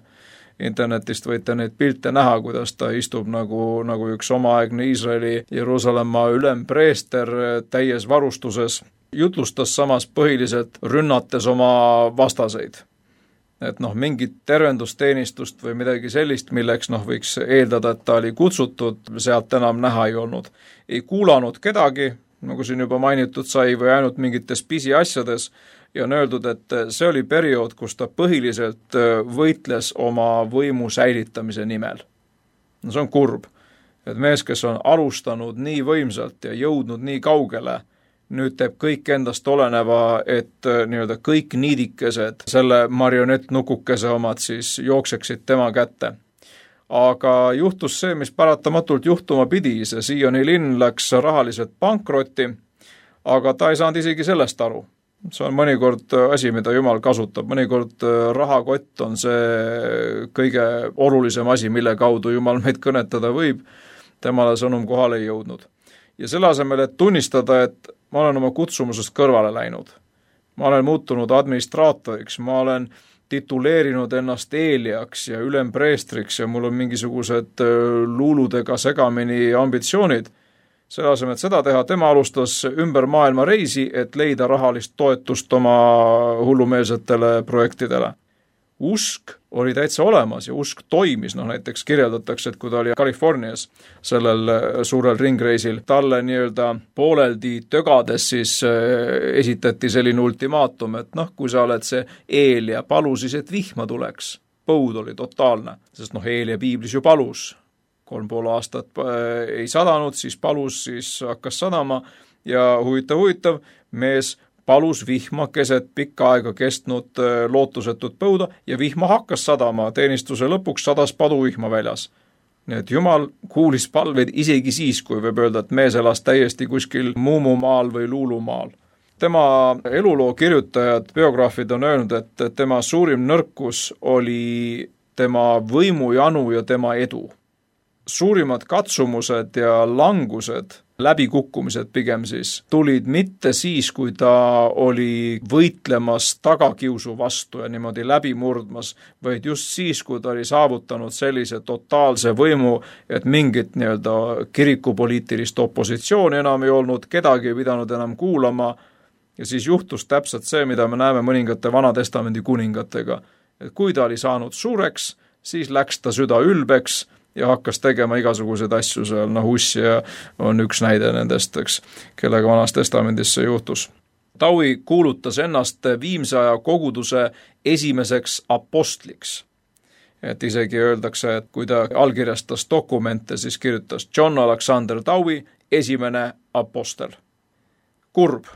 Internetist võite neid pilte näha, kuidas ta istub nagu, nagu üks omaaegne Iisraeli Jeruusalemma ülempreester täies varustuses. Jutlustas samas põhiliselt rünnates oma vastaseid. Et noh, mingit tervendusteenistust või midagi sellist, milleks noh, võiks eeldada, et ta oli kutsutud, sealt enam näha ei olnud. Ei kuulanud kedagi, nagu siin juba mainitud sai, või ainult mingites pisiasjades, ja on öeldud, et see oli periood, kus ta põhiliselt võitles oma võimu säilitamise nimel. No see on kurb, et mees, kes on alustanud nii võimsalt ja jõudnud nii kaugele, nüüd teeb kõik endast oleneva, et nii-öelda kõik niidikesed selle marionettnukukese omad siis jookseksid tema kätte. Aga juhtus see, mis paratamatult juhtuma pidi, see Sioni linn läks rahaliselt pankrotti, aga ta ei saanud isegi sellest aru. See on mõnikord asi, mida Jumal kasutab, mõnikord rahakott on see kõige olulisem asi, mille kaudu Jumal meid kõnetada võib, temale sõnum kohale ei jõudnud. Ja selle asemel, et tunnistada, et ma olen oma kutsumusest kõrvale läinud, ma olen muutunud administraatoriks, ma olen tituleerinud ennast Eeliaks ja ülempreestriks ja mul on mingisugused luuludega segamini ambitsioonid. Selle asemel, et seda teha, tema alustas ümber maailma reisi, et leida rahalist toetust oma hullumeelsetele projektidele. Usk oli täitsa olemas ja usk toimis, noh näiteks kirjeldatakse, et kui ta oli Californias sellel suurel ringreisil, talle nii-öelda pooleldi tögades siis esitati selline ultimaatum, et noh, kui sa oled see Eelia, palu siis, et vihma tuleks. Põud oli totaalne, sest noh, Eelia piiblis ju palus. Kolm pool aastat ei sadanud, siis palus, siis hakkas sadama ja huvitav, huvitav, mees palus vihma keset pikka aega kestnud lootusetut põuda ja vihma hakkas sadama, teenistuse lõpuks sadas paduvihma väljas. Nii et Jumal kuulis palveid isegi siis, kui võib öelda, et mees elas täiesti kuskil muumumaal või luulumaal. Tema eluloo kirjutajad, biograafid on öelnud, et tema suurim nõrkus oli tema võimujanu ja tema edu. Suurimad katsumused ja langused, läbikukkumised pigem siis, tulid mitte siis, kui ta oli võitlemas tagakiusu vastu ja niimoodi läbi murdmas, vaid just siis, kui ta oli saavutanud sellise totaalse võimu, et mingit nii-öelda kirikupoliitilist opositsiooni enam ei olnud, kedagi ei pidanud enam kuulama ja siis juhtus täpselt see, mida me näeme mõningate Vanatestamendi kuningatega. Et kui ta oli saanud suureks, siis läks ta süda ülbeks ja hakkas tegema igasuguseid asju seal, noh Ussija on üks näide nendest, eks, kellega Vanas Testamendis see juhtus. Taui kuulutas ennast viimse aja koguduse esimeseks apostliks. Et isegi öeldakse, et kui ta allkirjastas dokumente, siis kirjutas John Alexander Taui, esimene apostel. Kurb.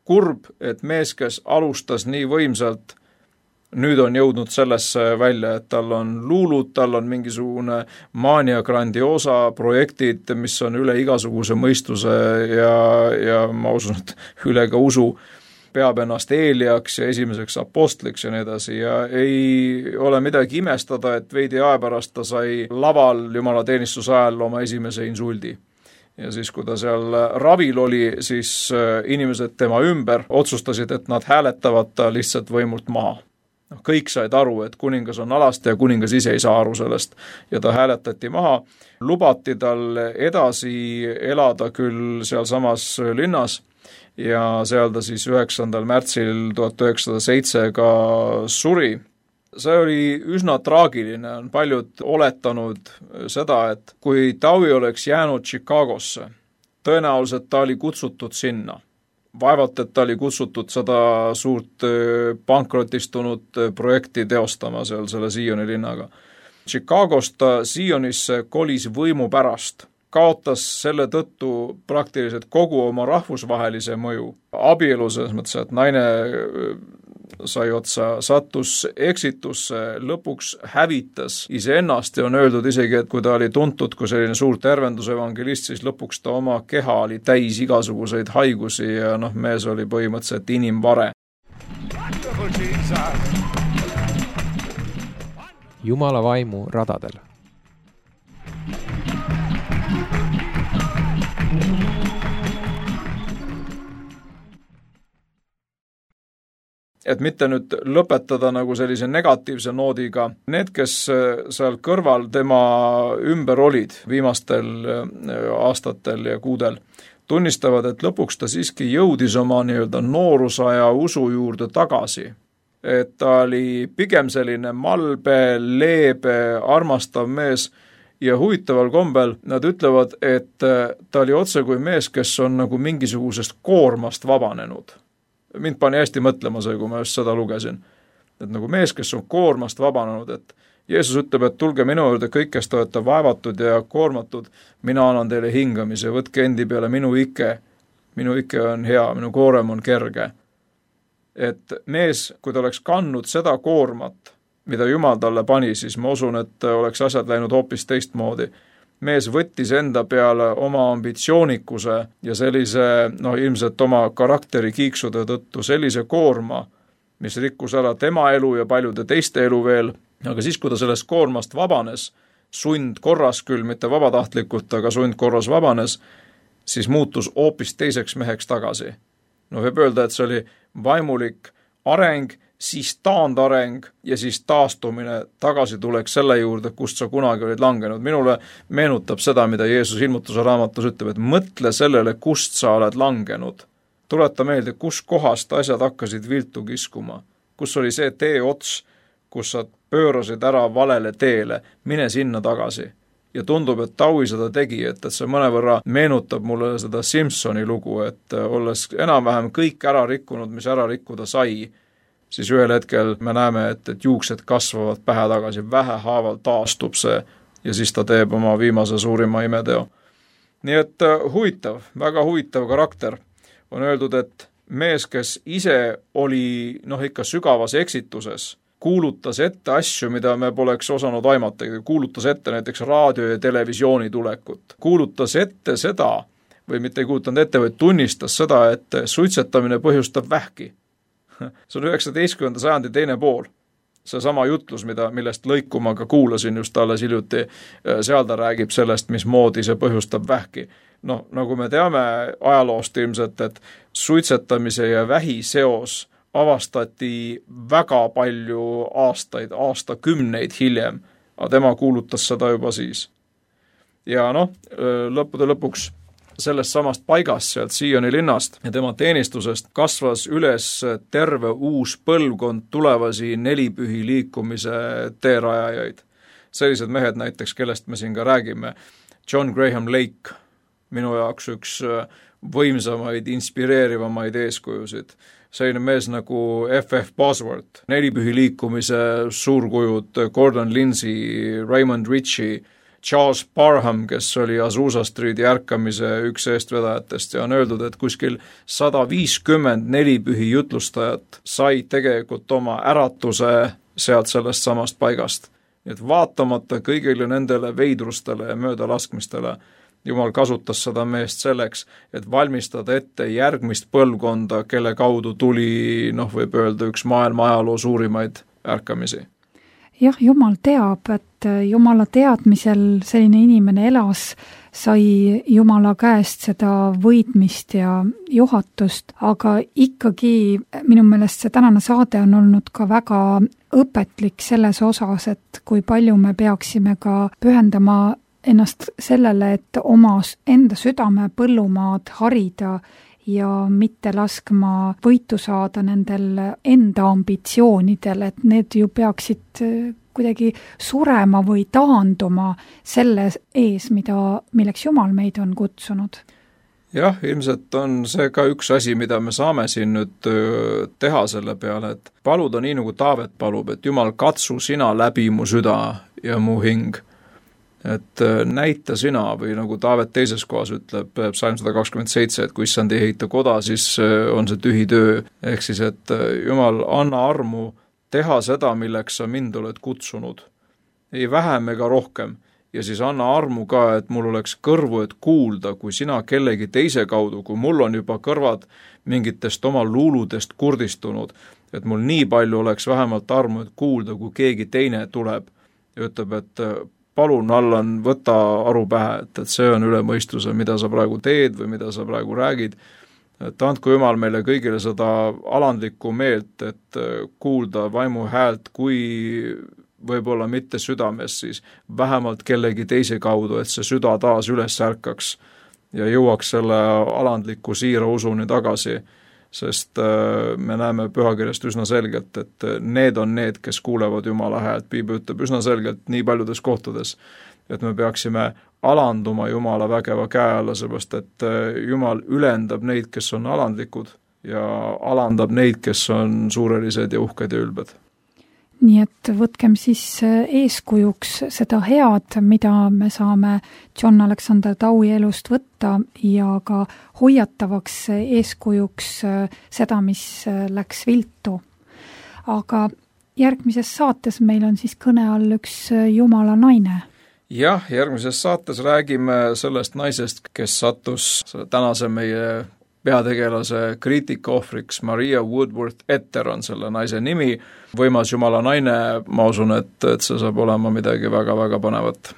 Kurb, et mees, kes alustas nii võimsalt, nüüd on jõudnud sellesse välja, et tal on luulud, tal on mingisugune mania grandiosa projektid, mis on üle igasuguse mõistuse ja, ja ma usun, et üle ka usu, peab ennast Eeliaks ja esimeseks apostliks ja nii edasi ja ei ole midagi imestada, et veidi aja pärast ta sai laval Jumala teenistuse ajal oma esimese insuldi. Ja siis, kui ta seal ravil oli, siis inimesed tema ümber otsustasid, et nad hääletavad ta lihtsalt võimult maha. No, kõik said aru, et kuningas on alasti ja kuningas ise ei saa aru sellest ja ta hääletati maha. Lubati tal edasi elada küll seal samas linnas ja seal ta siis üheksandal märtsil tuhat üheksasada seitse ka suri. See oli üsna traagiline, on paljud oletanud seda, et kui Taui oleks jäänud Chicagosse, tõenäoliselt ta oli kutsutud sinna. Vaevalt, et ta oli kutsutud seda suurt pankrotistunud projekti teostama seal selle Sioni linnaga. Chicagost ta Sionisse kolis võimu pärast, kaotas selle tõttu praktiliselt kogu oma rahvusvahelise mõju. Abielu selles mõttes, et naine sai otsa, sattus eksitusse, lõpuks hävitas iseennast ja on öeldud isegi, et kui ta oli tuntud kui selline suur tervendusevangelist, siis lõpuks ta oma keha oli täis igasuguseid haigusi ja noh, mees oli põhimõtteliselt inimvare. Jumala vaimu radadel. Et mitte nüüd lõpetada nagu sellise negatiivse noodiga, need, kes seal kõrval tema ümber olid viimastel aastatel ja kuudel, tunnistavad, et lõpuks ta siiski jõudis oma nii-öelda noorusaja usu juurde tagasi. Et ta oli pigem selline malbe, leebe, armastav mees ja huvitaval kombel nad ütlevad, et ta oli otse kui mees, kes on nagu mingisugusest koormast vabanenud. Mind pani hästi mõtlema see, kui ma just seda lugesin. Et nagu mees, kes on koormast vabanenud, et Jeesus ütleb, et tulge minu juurde kõik, kes te olete vaevatud ja koormatud, mina annan teile hingamise, võtke endi peale minu ike, minu ike on hea, minu koorem on kerge. Et mees, kui ta oleks kandnud seda koormat, mida Jumal talle pani, siis ma usun, et oleks asjad läinud hoopis teistmoodi. mees võttis enda peale oma ambitsioonikuse ja sellise, noh ilmselt oma karakteri kiiksude tõttu sellise koorma, mis rikkus ära tema elu ja paljude teiste elu veel, aga siis, kui ta sellest koormast vabanes, sundkorras küll, mitte vabatahtlikult, aga sundkorras vabanes, siis muutus hoopis teiseks meheks tagasi. No võib öelda, et see oli vaimulik areng, siis taandareng ja siis taastumine, tagasi tuleks selle juurde, kust sa kunagi olid langenud. Minule meenutab seda, mida Jeesus ilmutuse raamatus ütleb, et mõtle sellele, kust sa oled langenud. Tuleta meelde, kus kohast asjad hakkasid viltu kiskuma, kus oli see tee ots, kus sa pöörasid ära valele teele, mine sinna tagasi. Ja tundub, et Taui seda tegi, et, et see mõnevõrra meenutab mulle seda Simpsoni lugu, et olles enam-vähem kõik ära rikkunud, mis ära rikkuda sai, siis ühel hetkel me näeme, et, et juuksed kasvavad pähe tagasi, vähehaaval taastub see ja siis ta teeb oma viimase suurima imeteo. Nii et huvitav, väga huvitav karakter. On öeldud, et mees, kes ise oli noh ikka sügavas eksituses, kuulutas ette asju, mida me poleks osanud aimata, kuulutas ette näiteks raadio ja televisiooni tulekut. Kuulutas ette seda, või mitte ei kuulutanud ette, vaid tunnistas seda, et suitsetamine põhjustab vähki. See on üheksateistkümnenda sajandi teine pool. See sama jutlus, mida, millest lõiku ma ka kuulasin just alles hiljuti, seal ta räägib sellest, mismoodi see põhjustab vähki. No, nagu me teame ajaloost ilmselt, et suitsetamise ja vähi seos avastati väga palju aastaid, aastakümneid hiljem, aga tema kuulutas seda juba siis. Ja noh, lõppude lõpuks sellest samast paigast, sealt Sioni linnast ja tema teenistusest kasvas üles terve uus põlvkond tulevasi nelipühi liikumise teerajajaid. Sellised mehed näiteks, kellest me siin ka räägime, John Graham Lake, minu jaoks üks võimsamaid, inspireerivamaid eeskujusid. Selline mees nagu F F Bosworth, nelipühi liikumise suurkujud, Gordon Lindsay, Raymond Ritchie, Charles Parham, kes oli Azusa Streeti ärkamise üks eestvedajatest ja on öeldud, et kuskil sada viiskümmend nelipühi jutlustajat sai tegelikult oma äratuse sealt sellest samast paigast. Nii et vaatamata kõigile nendele veidrustele ja möödalaskmistele, Jumal kasutas seda meest selleks, et valmistada ette järgmist põlvkonda, kelle kaudu tuli, noh võib öelda, üks maailma ajaloo suurimaid ärkamisi. Jah, Jumal teab, et Jumala teadmisel selline inimene elas, sai Jumala käest seda võidmist ja juhatust, aga ikkagi minu meelest see tänane saade on olnud ka väga õpetlik selles osas, et kui palju me peaksime ka pühendama ennast sellele, et oma enda südame põllumaad harida ja mitte laskma võitu saada nendel enda ambitsioonidel, et need ju peaksid kuidagi surema või taanduma selle ees, mida, milleks Jumal meid on kutsunud. Jah, ilmselt on see ka üks asi, mida me saame siin nüüd teha selle peale, et paluda nii nagu Taavet palub, et Jumal, katsu sina läbi mu süda ja mu hing. Et näita sina või nagu Taavet teises kohas ütleb, psalm sada kakskümmend seitse, et kui issand ei ehita koda, siis on see tühi töö. Ehk siis, et Jumal, anna armu teha seda, milleks sa mind oled kutsunud. Ei vähem ega rohkem. Ja siis anna armu ka, et mul oleks kõrvu, et kuulda, kui sina kellegi teise kaudu, kui mul on juba kõrvad mingitest oma luuludest kurdistunud, et mul nii palju oleks vähemalt armu, et kuulda, kui keegi teine tuleb ja ütleb, et palun, Allan, võta aru pähe, et, et see on üle mõistuse, mida sa praegu teed või mida sa praegu räägid. Et andku Jumal meile kõigile seda alandlikku meelt, et kuulda vaimu häält, kui võib-olla mitte südames, siis vähemalt kellegi teise kaudu, et see süda taas üles ärkaks ja jõuaks selle alandliku siira usuni tagasi. Sest me näeme pühakirjast üsna selgelt, et need on need, kes kuulevad Jumala häält. Piibel ütleb üsna selgelt nii paljudes kohtades, et me peaksime alanduma Jumala vägeva käe alla, seepärast et Jumal ülendab neid, kes on alandlikud ja alandab neid, kes on suurelised ja uhked ja ülbed. Nii et võtkem siis eeskujuks seda head, mida me saame John Alexander Taui elust võtta ja ka hoiatavaks eeskujuks seda, mis läks viltu. Aga järgmises saates meil on siis kõne all üks Jumala naine. jah, järgmises saates räägime sellest naisest, kes sattus tänase meie peategelase kriitika ohvriks. Maria Woodworth Etter on selle naise nimi. Võimas Jumala naine, ma usun, et, et see saab olema midagi väga-väga panevat.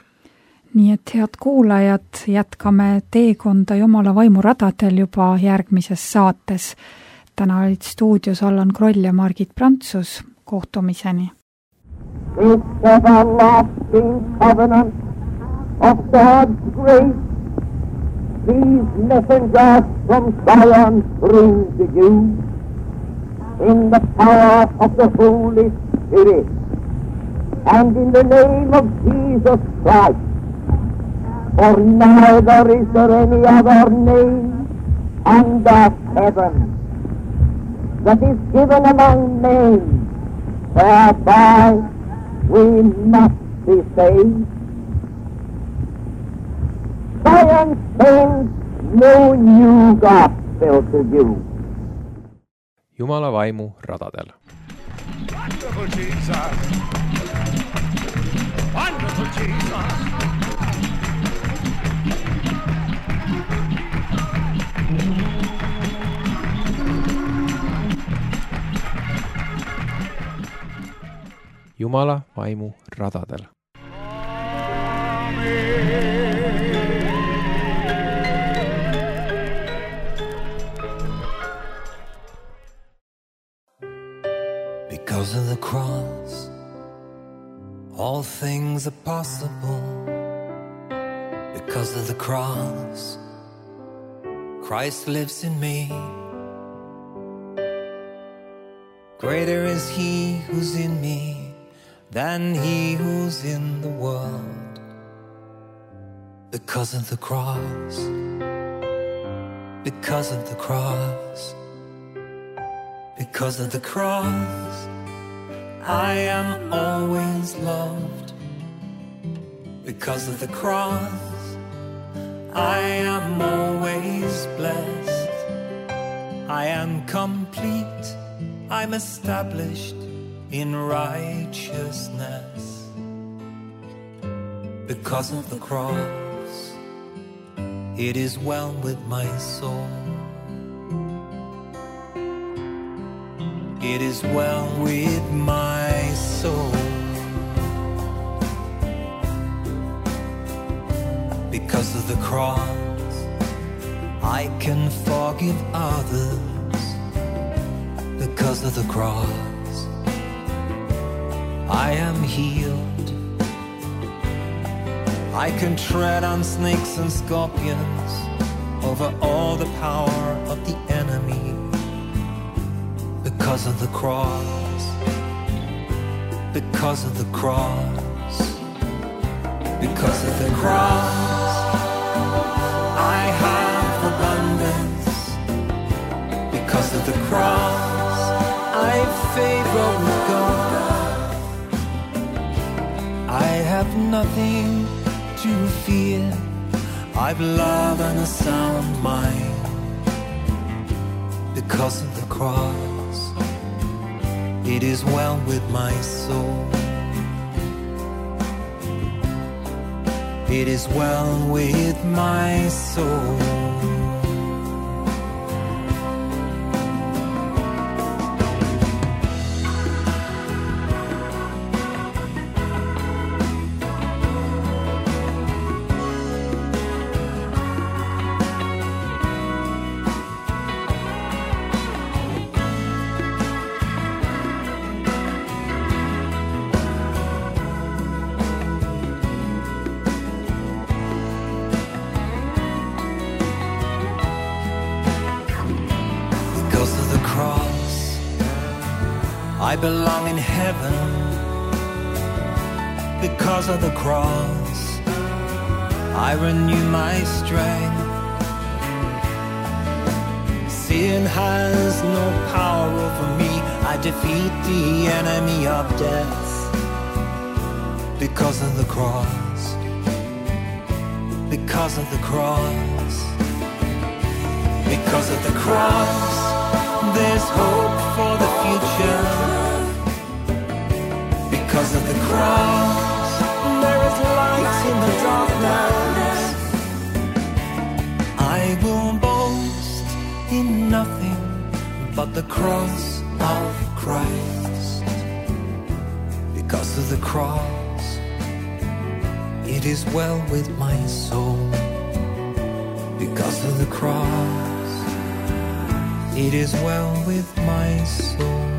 Nii et head kuulajad, jätkame teekonda Jumala vaimu radadel juba järgmises saates. Täna olid stuudios Allan Kroll ja Margit Prantsus. Kohtumiseni. It's everlasting covenant of God's grace. These messengers from Zion bring to you in the power of the Holy Spirit and in the name of Jesus Christ. For neither is there any other name under heaven that is given among men whereby we must be saved. Zion sends no new gospel to you. Jumala vaimu radadel. Wonderful Jesus. Wonderful Jesus. Jumala vaimu radadel. Because of the cross, all things are possible. Because of the cross, Christ lives in me. Greater is He who's in me than he who's in the world. Because of the cross, because of the cross, because of the cross, I am always loved. Because of the cross, I am always blessed. I am complete, I'm established in righteousness. Because of the cross, it is well with my soul. It is well with my soul. Because of the cross, I can forgive others. Because of the cross, I am healed. I can tread on snakes and scorpions over all the power of the enemy. Because of the cross, because of the cross, because of the cross, I have abundance. Because of the cross, I favor with God. I have nothing to fear. I've love and a sound mind. Because of the cross, it is well with my soul. It is well with my soul. I belong in heaven. Because of the cross, I renew my strength. Sin has no power over me. I defeat the enemy of death. Because of the cross, because of the cross, because of the cross, there's hope for the future. Because of the cross, there is light in the darkness. I will boast in nothing but the cross of Christ. Because of the cross, it is well with my soul. Because of the cross, it is well with my soul.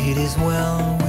It is well